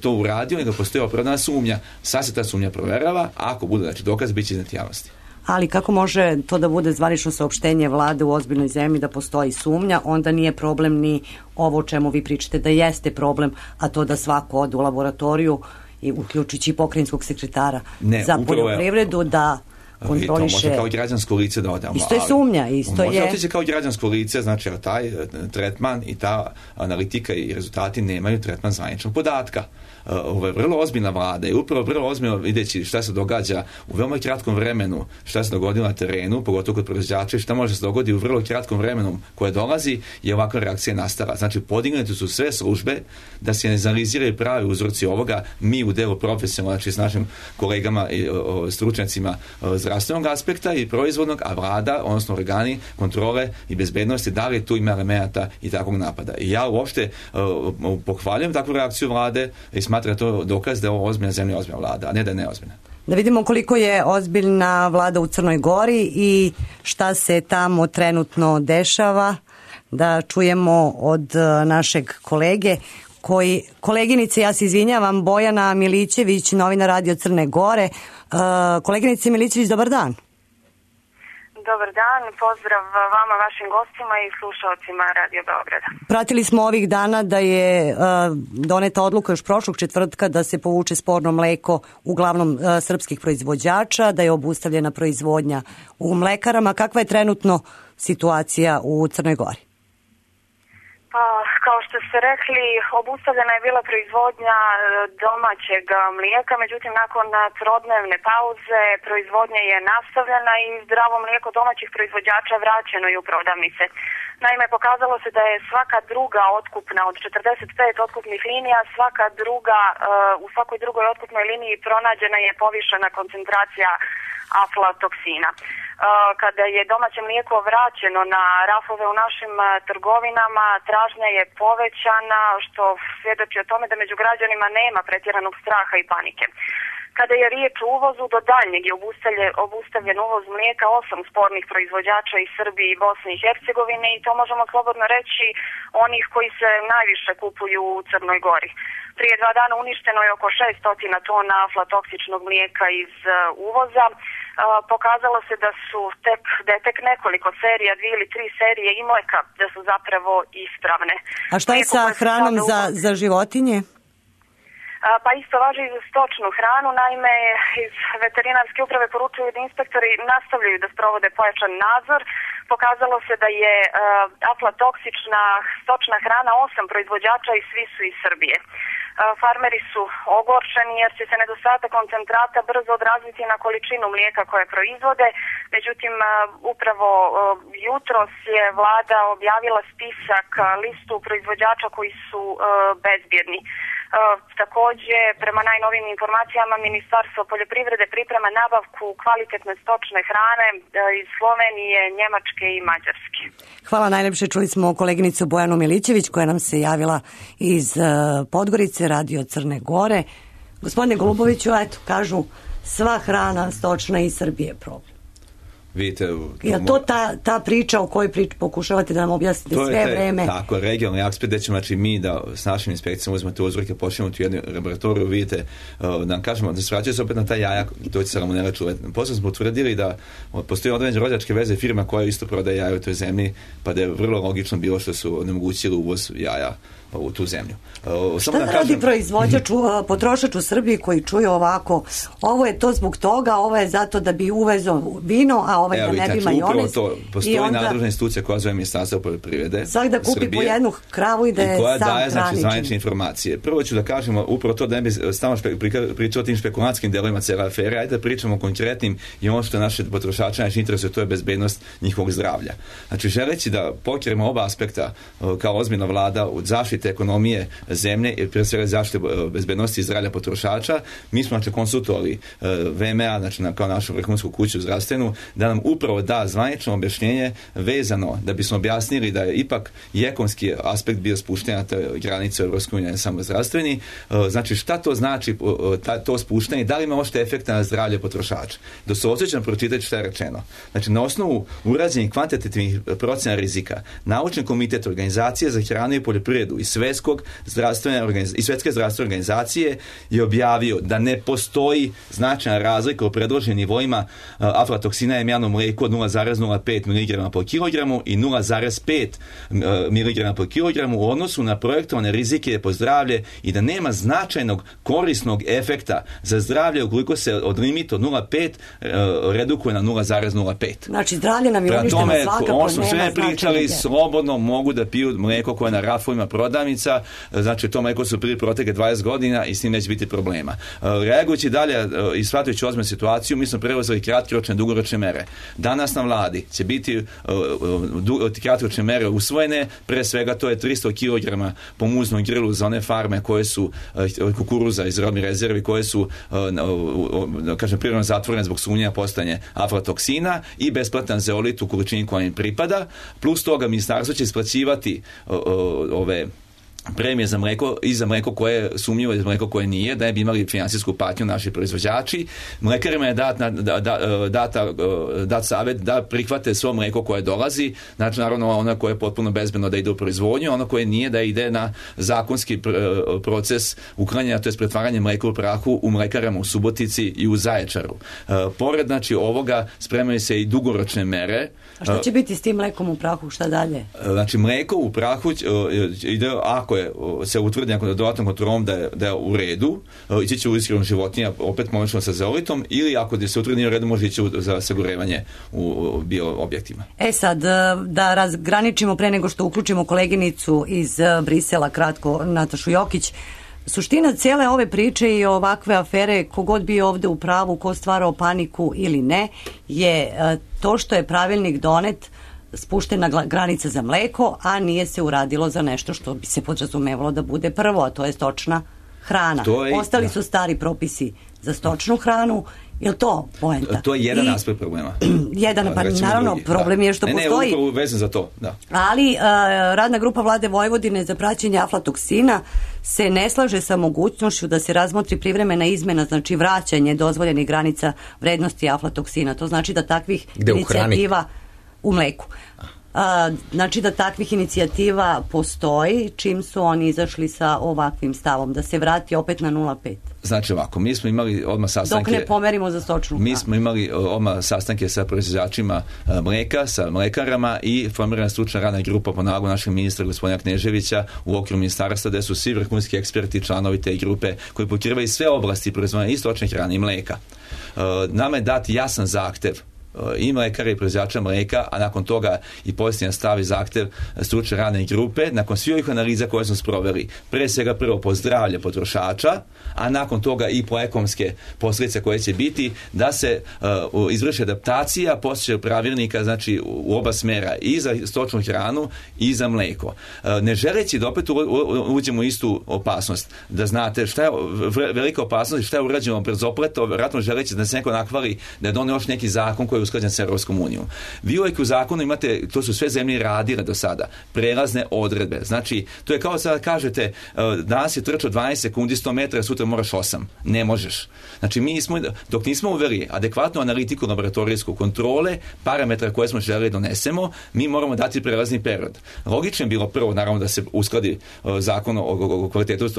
to uradio, nego postoji opravdana sumnja. Sad se ta sumnja proverava, a ako bude dokaz, bit će iznad javnosti. Ali kako može to da bude zvanično saopštenje vlade u ozbiljnoj zemlji da postoji sumnja, onda nije problem ni ovo o čemu vi pričate da jeste problem, a to da svako ode u laboratoriju, i uključujući pokrajinskog sekretara za poljoprivredu, da kontroliše. To može kao građansko lice da ode. Isto je sumnja, isto je. Može otići kao građansko lice, znači taj tretman i ta analitika i rezultati nemaju tretman zvaničnog podatka. Ovo je vrlo ozbiljna vlada i upravo vrlo ozbiljno videći šta se događa u veoma kratkom vremenu, šta se dogodilo na terenu, pogotovo kod proizvođača i šta može se dogoditi u vrlo kratkom vremenu koje dolazi, je ovakva reakcija nastala. Znači, podignute su sve službe da se analiziraju pravi uzroci ovoga. Mi u delu profesionalno, znači s našim kolegama i stručnjacima zdravstvenog aspekta i proizvodnog, a vlada, odnosno organi kontrole i bezbednosti, da li tu ima elemenata i takvog napada. I ja uopšte pohvaljujem takvu reakciju vlade i smatram to dokaz da je ovo ozbiljna zemlja, ozbiljna vlada, a ne da je neozbiljna. Da vidimo koliko je ozbiljna vlada u Crnoj Gori i šta se tamo trenutno dešava, da čujemo od našeg kolege koleginice, ja se izvinjavam, Bojana Milićević, novina Radio Crne Gore. Koleginice Milićević, dobar dan. Dobar dan, pozdrav vama, vašim gostima i slušalcima Radio Beograda. Pratili smo ovih dana da je doneta odluka još prošlog četvrtka da se povuče sporno mleko uglavnom srpskih proizvođača, da je obustavljena proizvodnja u mlekarama. Kakva je trenutno situacija u Crnoj Gori? Pa, kao što ste rekli, obustavljena je bila proizvodnja domaćeg mlijeka, međutim nakon trodnevne pauze proizvodnja je nastavljena i zdravo mlijeko domaćih proizvođača vraćeno je u prodavnice. Naime, pokazalo se da je svaka druga otkupna od 45 otkupnih linija, u svakoj drugoj otkupnoj liniji pronađena je povišena koncentracija aflatoksina. Kada je domaće mlijeko vraćeno na rafove u našim trgovinama, tražnja je povećana, što svjedoči o tome da među građanima nema pretjeranog straha i panike. Kada je riječ o uvozu, do daljnjeg je obustavljen uvoz mlijeka 8 spornih proizvođača iz Srbije i Bosne i Hercegovine i to možemo slobodno reći onih koji se najviše kupuju u Crnoj Gori. Prije 2 dana uništeno je oko 600 tona aflatoksičnog mlijeka iz uvoza. Pokazalo se da je tek nekoliko serija, 2 ili 3 serije i mleka, da su zapravo ispravne. A šta je sa hranom za životinje? Pa isto važi i za stočnu hranu. Naime, iz veterinarske uprave poručuju da inspektori nastavljaju da sprovode pojačan nadzor. Pokazalo se da je aflatoksična stočna hrana 8 proizvođača i svi su iz Srbije. Farmeri su ogorčeni jer će se nedostatak koncentrata brzo odraziti na količinu mlijeka koje proizvode. Međutim, upravo jutros je vlada objavila spisak, listu proizvođača koji su bezbjedni. Također, prema najnovijim informacijama, Ministarstvo poljoprivrede priprema nabavku kvalitetne stočne hrane iz Slovenije, Njemačke i Mađarske. Hvala najlepše. Čuli smo koleginicu Bojanu Milićević koja nam se javila iz Podgorice, Radio Crne Gore. Gospodine Goluboviću, eto, kažu sva hrana stočna iz Srbije je problem. Vidite, je to ta priča o kojoj pokušavate da nam objasnite sve vreme? Tako, regionalni aspekt, da ćemo znači, mi da s našim inspekcijama uzmemo te uzorke, počnemo u jednu laboratoriju, vidite, da nam kažemo, da se vraćaju se opet na taj jaja, to će salmonela čuvati. Posle smo utvrdili da postoji određene rođačke veze firma koja isto prodaje jaja u toj zemlji, pa da je vrlo logično bilo što su onemogućili uvoz jaja u tu zemlju. Šta da radi proizvođač, potrošač u Srbiji koji čuje ovako, ovo je to zbog toga, ovo je zato da bi uvezo vino, a ovaj da ne bi majonez. Postoji nadležna institucija koja zove Ministarstvo poljoprivrede svak da kupi po jednu kravu i da je koja sam daje znači zvanične informacije. Prvo ću da kažemo upravo to da ne bi stalno pričao o tim špekulantskim delovima cijela afere, ajde da pričamo o konkretnim i ono što naše potrošače najviše interesuje, to je bezbednost njihovog zdravlja. Znači želeći da pokrijemo oba aspekta kao ozbiljna vlada od zaštite zaštite ekonomije zemlje i prije svega zaštite bezbednosti i zdravlja potrošača, mi smo znači konsultovali VMA, znači kao našu vrhunsku kuću zdravstvenu, da nam upravo da zvanično objašnjenje vezano da bismo objasnili da je ipak i ekonomski aspekt bio spušten na te granice EU, ne samo zdravstveni. Znači šta to znači to spuštanje, da li ima ošte efekta na zdravlje potrošača? Da se osjećam pročitati šta je rečeno. Znači na osnovu urađenih kvantitativnih procena rizika, Naučni komitet Organizacije za hranu i poljoprivredu i Svetske zdravstvene organizacije je objavio da ne postoji značajna razlika u predloženim nivoima aflatoksina u jajnom mlijeku od 0,05 mg po kilogramu i 0,5 mg po kilogramu u odnosu na projektovane rizike po zdravlje i da nema značajnog korisnog efekta za zdravlje ukoliko se od limita od 0,5 redukuje na 0,05. Znači zdravlje nam je uništeno svakako, ono što sve pričali, slobodno mogu da piju mlijeko koje je na rafovima prodavnica, znači to mlijeko su prije proteke 20 godina i s tim neće biti problema. Reagujući dalje i shvatajući ozbiljnu situaciju, mi smo preuzeli kratkoročne, dugoročne mere. Danas na vladi će biti kratkoročne mere usvojene, pre svega to je 300 kg po muznom grilu za one farme koje su kukuruza iz robnih rezervi, koje su kažem prirodno zatvorene zbog sumnjanja postojanja aflatoksina i besplatan zeolit u količini koja im pripada. Plus toga ministarstvo će isplaćivati ove premije za mlijeko i za mlijeko koje je sumnjivo i za mlijeko koje nije, da ne bi imali finansijsku patnju naši proizvođači. Mlekarima je dat savjet da prihvate svo mlijeko koje dolazi, znači naravno ono koje je potpuno bezbedno da ide u proizvodnju, ono koje nije da ide na zakonski proces uklanjanja, to je pretvaranje mlijeka u prahu u mlekarama u Subotici i u Zaječaru. Pored znači ovoga spremaju se i dugoročne mere. A šta će biti s tim mlekom u prahu, šta dalje? Znači mlijeko u prahu ide, ako se utvrdi nekom dodatnom kontrolom da je u redu, ići će u ishranu životinja opet pomoćno sa zeolitom, ili ako se utvrdi u redu može ići za sagorevanje u bio objektima. Sad, da razgraničimo pre nego što uključimo koleginicu iz Brisela, kratko, Natašu Jokić, suština cijele ove priče i ovakve afere, kogod bio ovde u pravu, ko stvarao paniku ili ne, je to što je pravilnik donet, spuštena granica za mleko, a nije se uradilo za nešto što bi se podrazumevalo da bude prvo, a to je stočna hrana. Ostali su stari propisi za stočnu hranu. Je li to poenta? To je jedan aspekt problema. Naravno, problem je što postoji. Ne, upravo vezan za to, da. Ali radna grupa vlade Vojvodine za praćenje aflatoksina se ne slaže sa mogućnošću da se razmotri privremena izmena, znači vraćanje dozvoljenih granica vrednosti aflatoksina. To znači da takvih inicijativa u mleku. Znači da takvih inicijativa postoji čim su oni izašli sa ovakvim stavom, da se vrati opet na 0,5. Znači ovako, mi smo imali odmah sastanke... Dok ne pomerimo za stočnu hranu. Mi smo imali odmah sastanke sa proizvođačima mleka, sa mlekarama i formirana stručna radna grupa po nalogu našeg ministra gospodina Kneževića u okviru ministarstva, gde su svi vrhunski eksperti, članovi te grupe koji pokrivaju sve oblasti proizvodnje i stočne hrane i mleka. Nama je dat jasan zahtev i mlekara i proizvođača mleka, a nakon toga i posljednja stavi zahtev stručne radne grupe, nakon svih ovih analiza koje smo sproveli, pre svega prvo po zdravlje potrošača, a nakon toga i po ekonomske posljedice koje će biti, da se izvrši adaptacija postojećeg pravilnika, znači u oba smera, i za stočnu hranu i za mleko. Ne želeći da opet uđemo u istu opasnost, da znate šta je velika opasnost i šta je urađeno brzopleto, vjerojatno želeći da se neko nakvali da je donio još neki zakon koji je usklađen sa Europskom unijom. Vi uvijek u zakonu imate, to su sve zemlje radile do sada, prelazne odredbe. Znači, to je kao sada kažete, danas je trčao 12 sekundi 100 metara, sutra moraš 8. Ne možeš. Znači, mi smo, dok nismo uveli adekvatnu analitiku laboratorijsku kontrole, parametra koje smo želeli donesemo, mi moramo dati prelazni period. Logično je bilo prvo, naravno, da se uskladi zakon o kvalitetu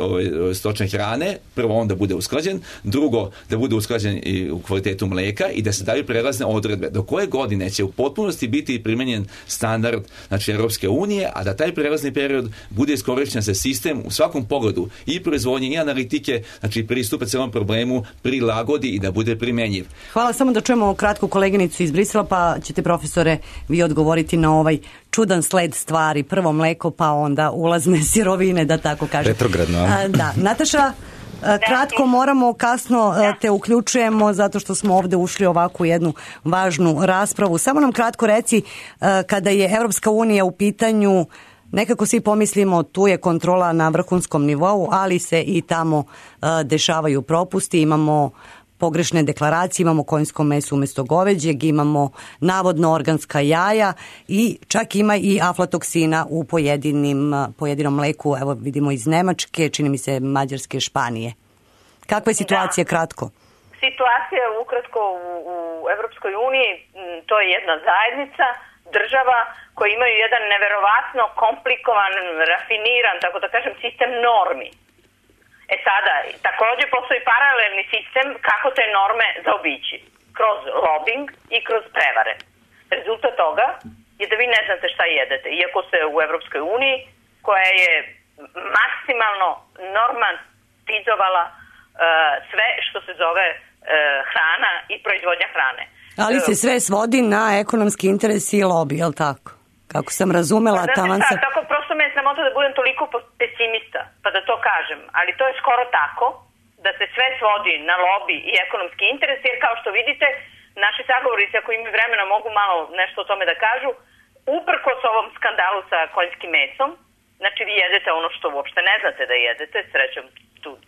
stočne hrane, prvo on da bude usklađen, drugo da bude usklađen i u kvalitetu mleka i da se daju prelazne odredbe. Do koje godine će u potpunosti biti primenjen standard, znači Europske unije, a da taj prelazni period bude iskorišćen za sistem u svakom pogledu i proizvodnje i analitike, znači pristupa celom problemu, prilagodi i da bude primenjiv. Hvala, samo da čujemo kratku koleginicu iz Brisela, pa ćete, profesore, vi odgovoriti na ovaj čudan sled stvari. Prvo mleko, pa onda ulazne sirovine, da tako kažem. Retrogradno. Da. Nataša, kratko, moramo, kasno te uključujemo zato što smo ovde ušli ovakvu jednu važnu raspravu. Samo nam kratko reci, kada je Evropska unija u pitanju, nekako svi pomislimo tu je kontrola na vrhunskom nivou, ali se i tamo dešavaju propusti, imamo pogrešne deklaracije, imamo konjsko meso umjesto goveđeg, imamo navodno organska jaja i čak ima i aflatoksina u pojedinom mleku, evo vidimo iz Nemačke, čini mi se Mađarske, Španije. Kakva je situacija kratko? Situacija ukratko u Evropskoj uniji, to je jedna zajednica država koji imaju jedan neverovatno komplikovan, rafiniran, tako da kažem, sistem normi. E sada, također postoji paralelni sistem kako te norme zaobići. Kroz lobbying i kroz prevare. Rezultat toga je da vi ne znate šta jedete. Iako ste u Evropskoj uniji, koja je maksimalno normatizovala sve što se zove hrana i proizvodnja hrane. Ali se sve svodi na ekonomski interes i lobby, je li tako? Kako sam razumela, taman sam... Tako prosto me je sramota da budem toliko pesimista, pa da to kažem. Ali to je skoro tako, da se sve svodi na lobby i ekonomski interes, jer kao što vidite, naši sagovornici, ako imaju vremena, mogu malo nešto o tome da kažu, uprkos ovom skandalu sa konjskim mesom, znači vi jedete ono što uopšte ne znate da jedete, srećom,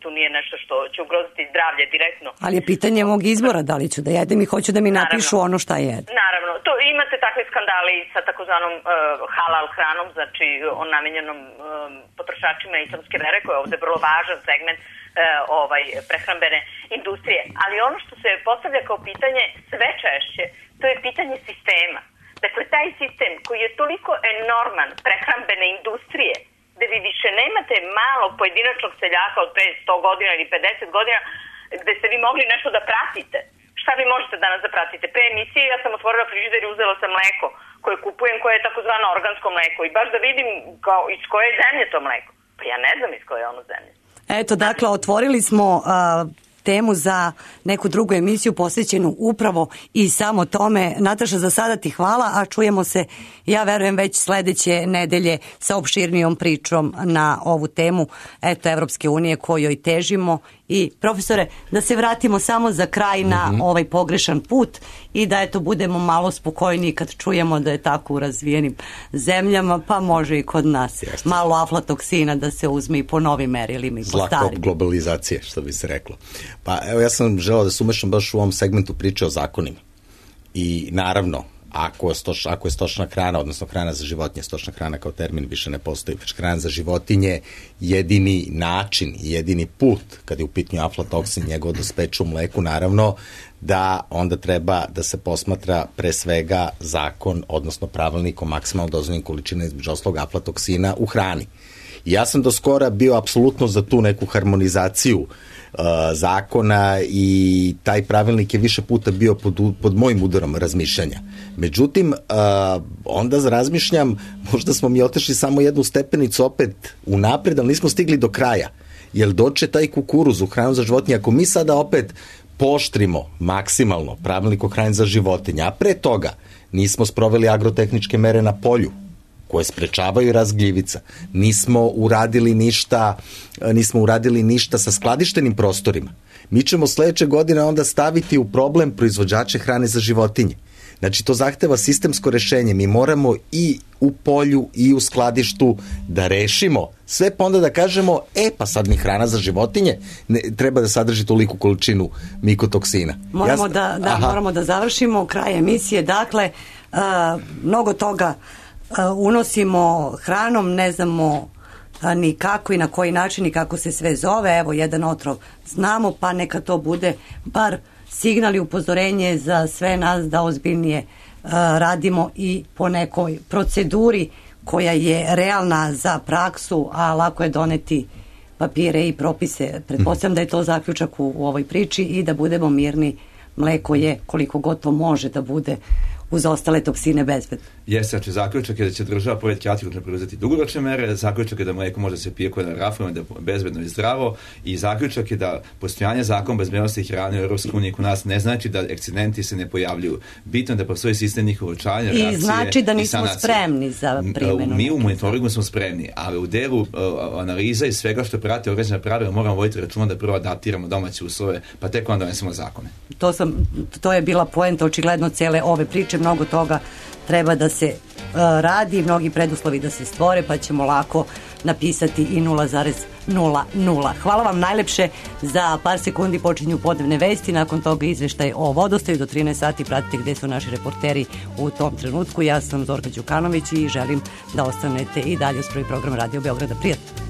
tu nije nešto što će ugroziti zdravlje direktno. Ali je pitanje mog izbora, da li ću da jedem i hoću da mi napišu ono šta jedem. Naravno, to imate takve skandale sa takozvanom halal hranom, znači o namenjenom potrošačima islamske vere, koja je ovde vrlo važan segment prehrambene industrije. Ali ono što se postavlja kao pitanje sve češće, to je pitanje sistema. Dakle, taj sistem koji je toliko enorman prehrambene industrije, gde vi više nemate malog pojedinačnog seljaka od pre 100 godina ili 50 godina, gde ste vi mogli nešto da pratite. Šta vi možete danas da pratite? Pre emisije ja sam otvorila frižider i uzela sam mleko koje kupujem, koje je takozvano organsko mleko. I baš da vidim iz koje je zemlje to mleko. Pa ja ne znam iz koje je ono zemlje. Eto, dakle, otvorili smo temu za neku drugu emisiju posvećenu upravo i samo tome. Nataša, za sada ti hvala, a čujemo se, ja verujem, već sledeće nedelje sa opširnijom pričom na ovu temu, Evropske unije kojoj težimo. I profesore, da se vratimo samo za kraj na ovaj pogrešan put i da budemo malo spokojniji kad čujemo da je tako u razvijenim zemljama, pa može i kod nas. Jeste. Malo aflatoksina da se uzme i po novim merilima i po starim. Zlakop globalizacije, što bi se reklo. Pa evo, ja sam želeo da se umešam baš u ovom segmentu priče o zakonima. I naravno, ako je stočna hrana, odnosno hrana za životinje, stočna hrana kao termin više ne postoji, već hrana za životinje, jedini način, jedini put kad je u pitanju aflatoksin, njegovo dospeće u mleku, naravno da onda treba da se posmatra pre svega zakon, odnosno pravilnik o maksimalno dozvoljenim količina između ostalog aflatoksina u hrani. I ja sam do skora bio apsolutno za tu neku harmonizaciju zakona i taj pravilnik je više puta bio pod mojim udarom razmišljanja. Međutim, onda razmišljam, možda smo mi otešli samo jednu stepenicu opet unapred, ali nismo stigli do kraja. Jer doće taj kukuruz u hranu za životinje, ako mi sada opet pooštrimo maksimalno pravilnik o hrani za životinje, a pre toga nismo sproveli agrotehničke mere na polju, koje sprečavaju rast gljivica. Nismo uradili ništa sa skladištenim prostorima. Mi ćemo sledeće godine onda staviti u problem proizvođače hrane za životinje. Znači, to zahteva sistemsko rešenje. Mi moramo i u polju i u skladištu da rešimo sve, pa onda da kažemo, pa sad mi hrana za životinje treba da sadrži toliku količinu mikotoksina. Moramo da završimo kraj emisije. Dakle, mnogo toga unosimo hranom, ne znamo ni kako i na koji način i kako se sve zove. Evo, jedan otrov znamo, pa neka to bude bar signal i upozorenje za sve nas da ozbiljnije radimo i po nekoj proceduri koja je realna za praksu, a lako je doneti papire i propise. Pretpostavljam da je to zaključak u ovoj priči i da budemo mirni. Mleko je, koliko god to može da bude, uz ostale toksine bezbedno. Jeste, znači zaključak je da će država pored kratkoročno preuzeti dugoročne mere, zaključak je da mleko može se pije koje na rafovima, da je bezbedno i zdravo, i zaključak je da postojanje zakona bezbednosti hrane u Evropskoj uniji kod nas ne znači da ekcidenti se ne pojavljuju. Bitno je da postoji sistem njihovog očuvanja, reakcije i znači da nismo spremni za primjenu. Mi u monitoringu smo spremni, ali u delu analiza i svega što prati određena pravila moramo voditi računa da prvo adaptiramo domaće uslove, pa tek onda donesemo zakone. To je bila poenta očigledno cele ove priče. Mnogo toga treba da se radi, mnogi preduslovi da se stvore, pa ćemo lako napisati i 0,00. Hvala vam najlepše. Za par sekundi počinju podnevne vesti, nakon toga izveštaj o vodostaju. Do 13 sati pratite gde su naši reporteri u tom trenutku. Ja sam Zorka Đukanović i želim da ostanete i dalje uz prvi program Radio Beograda. Prijatno.